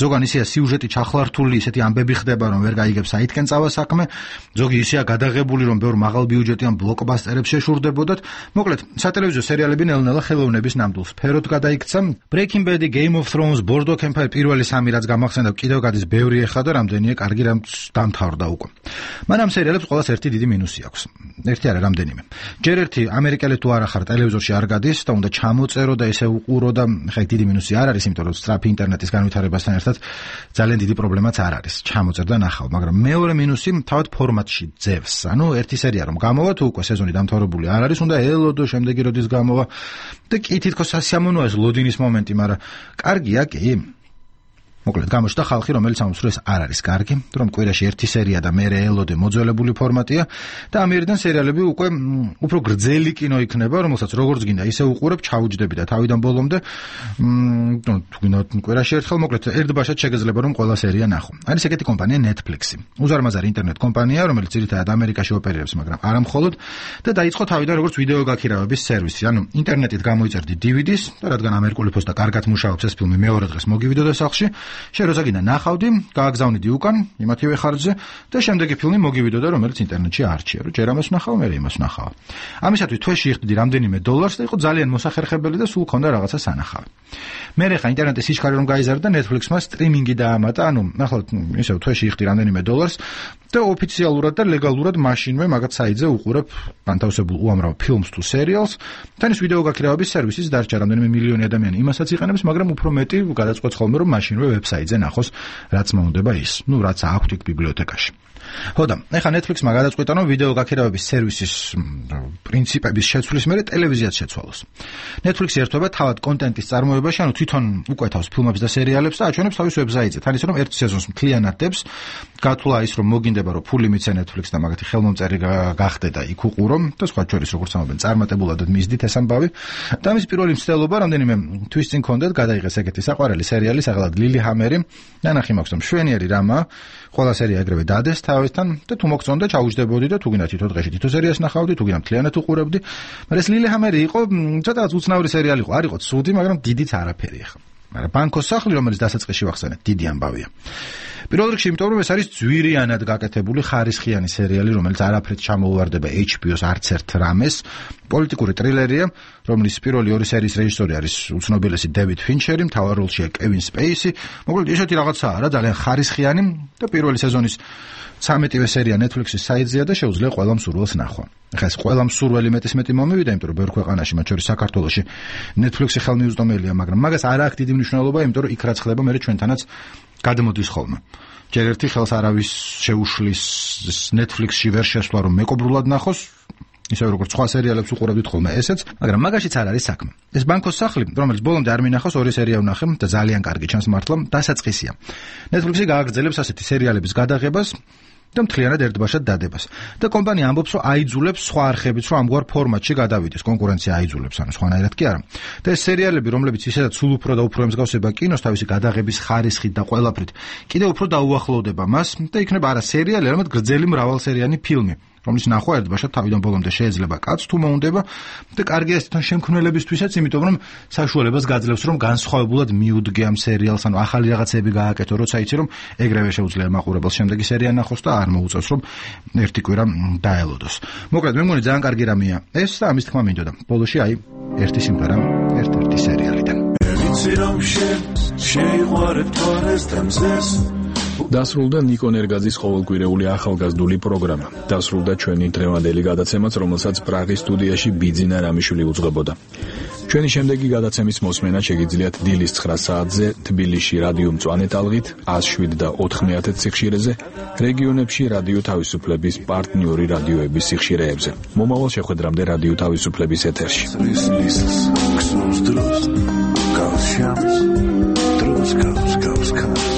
ზოგან ისეა სიუჟეტი ჩახლართული, ისეთი ამბები ხდება, რომ ვერ გაიგებს საითკენ წავა საქმე. ზოგი ისეა გადაღებული, რომ ბევრ მაღალ ბიუჯეტიან ბლოკბასტერებს შეშურდებოდათ. მოკლედ, სატელევიზიო სერიალები ნელ-ნელა ხელოვნების ნამდვილ სფეროდ გადაიქცა. Breaking Bad, Game of Thrones, Boardwalk Empire პირველი სამი რაც გამახსენდა კიდევ გადის ბევრი ეხლა და რამდენია კარგი რამ დამთავრდა უკვე. მან ამ სერიალებს ყოველას ერთი დიდი მინუსი აქვს. ერთი არა, რამდენიმე. ჯერ ერთი ამერიკელი თუ არა ხარ ტელევიზორში არ გადის და უნდა ჩამოწერო და ესე უყურო და ხა დიდი მინუსი არ არის, იმიტომ რომ სწრაფი ინტერნეტის განვითარებასთან ერთად ძალიან დიდი პრობლემაც არ არის. ჩამოწერ და ნახავ, მაგრამ მეორე მინუსი თავად ფორმატში ძევს. ანუ ერთი სერია რომ გამოვა თუ უკვე სეზონი დამთავრებული არ არის, უნდა ელოდო შემდეგი როდის გამოვა და კი თითქოს სასიამოვნოა ეს ლოდინის მომენტი, მაგრამ კარგია კი. მოკლედ გამოჩნდა ხალხი, რომელიც ამბობს, რომ ეს არ არის კარგი, რომ კვირაში ერთი სერია და მერე ელოდე მოძველებული ფორმატია და ამერიდან სერიალები უკვე უფრო გრძელი კინო იქნება, რომელსაც როგორც გინდა ისე უყურებ, ჩაუჯდები და თავიდან ბოლომდე თუ გინდა კვირაში ერთხელ, მოკლედ ერთბაშად შეგეძლება რომ ყველა სერია ნახო. არის ეგეთი კომპანია Netflix-ი. უზარმაზარი ინტერნეტ კომპანია, რომელიც ძირითადად ამერიკაში ოპერირებს, მაგრამ არა მხოლოდ და დაიწყო თავიდან როგორც ვიდეო გაქირავების სერვისი. ანუ ინტერნეტით გამოიწერდი DVD-ს და რადგან ამერიკული ფოსტა კარგად მუშაობს ეს ფილმი მეორე დღეს მოგივიდოდა სახლში. შენ როცა გინდა ნახავდი, გააგზავნიდი უკან იმათივე ხარჯზე და შემდეგი ფილმი მოგივიდოდა, რომელიც ინტერნეტში არჩია, რომ ჯერ ამას ვნახავ, მერე იმას ვნახავ. ამისათვის თვეში იხდიდი რამდენიმე $-ს და იყო ძალიან მოსახერხებელი და სულ ქონდა რაღაცა სანახავი. მერე ხა ინტერნეტის სიჩქარე რომ გაიზარდა, Netflix-მა სტრიმინგი დაამატა, ანუ ნახავთ, ისევ თვეში იხდი რამდენიმე $-ს და ოფიციალურად და ლეგალურად მაშინვე მაგათ საიტზე უყურებ განთავსებულ უამრავ ფილმს თუ სერიალს. თან ის ვიდეო გაქირავების სერვისიც დარჩა რამდენიმე მილიონი ადამიანი იმასაც იყენებს, მაგრამ უფრო მეტი გადაწყვეტს ხოლმე რომ მაშინვე ვებსაიტზე ნახოს, რაც მოუნდება ის, რაც აქვთ იქ ბიბლიოთეკაში. ხოდა, ეხლა Netflix-მა გადაწყვიტა, რომ ვიდეო გაქირავების სერვისის პრინციპების შეცვლის მერე ტელევიზიაც შეცვალოს. Netflix-ი ერთვება თავად კონტენტის წარმოებაში, ანუ თვითონ უკვეთავს ფილმებს და სერიალებს და აჩვენებს თავის ვებსაიტზე. თან ისე რომ ერთ სეზონს მთლიანად დებს, გათვლა ის რომ მოგინდება რომ ფული მიცე Netflix და მაგათი ხელმომწერი გახდე და იქ უყურო და სხვა შორის როგორც ამბობენ, წარმატებულად მისდით ეს ამბავი. და მის პირველი მცდელობა რამდენიმე თვის წინ ქონდათ, გადაიღეს ეგეთი საყვარელი სერიალი, სახელად Lilyhammer-ი. ნანახი მაქვს, რომ შვენიერი რამა, ყველა სერია ეგრევე დადეს თავისთან და თუ მოგწონდა ჩაუჯდებოდი და თუ გინდა თითო დღეში თითო სერიას ნახავდი, თუ გინდა მთლიანად უყურებდი. მაგრამ ეს Lilyhammer-ი იყო ცოტაც უცნაური სერიალი იყო, არ იყო ცუდი, მაგრამ დიდიც არაფერი ახლა. მაგრამ ბანკოს სახლი, რომელიც დასაწყისში ვახსენეთ, დიდი ამბავია. პირველ რიგში, იმიტომ რომ ეს არის ძვირიანად გაკეთებული ხარისხიანი სერიალი, რომელიც არაფრით ჩამოუვარდება HBO-ს არც ერთ რამეს. პოლიტიკური ტრილერია, რომლის პირველი 2 სერიის რეჟისორი არის უცნობელესი დევიდ ფინჩერი, მთავარ როლშია კევინ სპეისი. მოკლედ, ესეთი რაღაცაა რა, ძალიან ხარისხიანი და პირველი სეზონის 13-ვე სერია Netflix-ის საიტზეა და შეუძლია ყველა მსურველს ნახვა. ახლა ეს ყველა მსურველი მეტი მომივიდა, იმიტომ რომ ბევრ ქვეყანაში, მათ შორის საქართველოში, Netflix-ი ხელმიუწვდომელია, მაგრამ მაგას არ აქვს დიდი მნიშვნელობა, იმიტომ რომ იქ რაც ხდება, მე ჩვენთანაც გადმოდის ხოლმე. ჯერ ერთი ხელს არავის შეუშლის Netflix-ში ვერ შესვლა, რომ მეკობრულად ნახოს, ისე როგორც სხვა სერიალებს უყურებდით ხოლმე ესეც, მაგრამ მაგაშიც არ არის საქმე. ეს ბანკოს სახლი, რომელიც ბოლომდე არ მინახავს, 2 სერია ვნახე და ძალიან კარგი ჩანს მართლა, დასაწყისია. Netflix-ი გააგრძელებს ასეთი სერიალების გადაღებას და მთლიანად ერთბაშად დადებას. და კომპანია ამბობს, რომ აიძულებს სხვა არხებიც, რომ ამგვარ ფორმატში გადავიდეს. კონკურენცია აიძულებს, ანუ სხვანაირად კი არა. და ეს სერიალები, რომლებიც ისედაც სულ უფრო და უფრო ემსგავსება კინოს თავისი გადაღების ხარისხით და ყველაფრით, კიდევ უფრო დაუახლოვდება მას და იქნება არა სერიალი, არამედ გრძელი მრავალსერიანი ფილმი, რომლის ნახვა ერთბაშად თავიდან ბოლომდე შეიძლება კაცს თუ მოუნდება და კარგია ეს თან შემქმნელებისთვისაც, იმიტომ რომ საშუალებას გაძლევს, რომ განსხვავებულად მიუდგე ამ სერიალს, ანუ ახალი რაღაცები გააკეთო, როცა იცი რომ ეგრევე შეუძლია მაყურებელს შემდეგი სერია ნახოს და არ მოუწევს რომ ერთი კვირა დაელოდოს. მოკლედ, მე მგონი ძალიან კარგი რამეა ეს და ამის თქმა მინდოდა. ბოლოში აი ერთი სიმღერა ერთ-ერთი სერიალიდან. დასრულდა ნიკო ნერგაძის ყოველკვირეული ახალგაზრდული პროგრამა. დასრულდა ჩვენი დღევანდელი გადაცემაც, რომელსაც პრაღის სტუდიაში ბიძინა რამიშვილი უძღვებოდა. ჩვენი შემდეგი გადაცემის მოსმენა შეგიძლიათ დილის 9 საათზე თბილისში რადიო მწვანე ტალღით 107 და 90 სიხშირეზე, რეგიონებში რადიო თავისუფლების პარტნიორი რადიოების სიხშირეებზე. მომავალ შეხვედრამდე რადიო თავისუფლების ეთერში. Goes, goes, goes.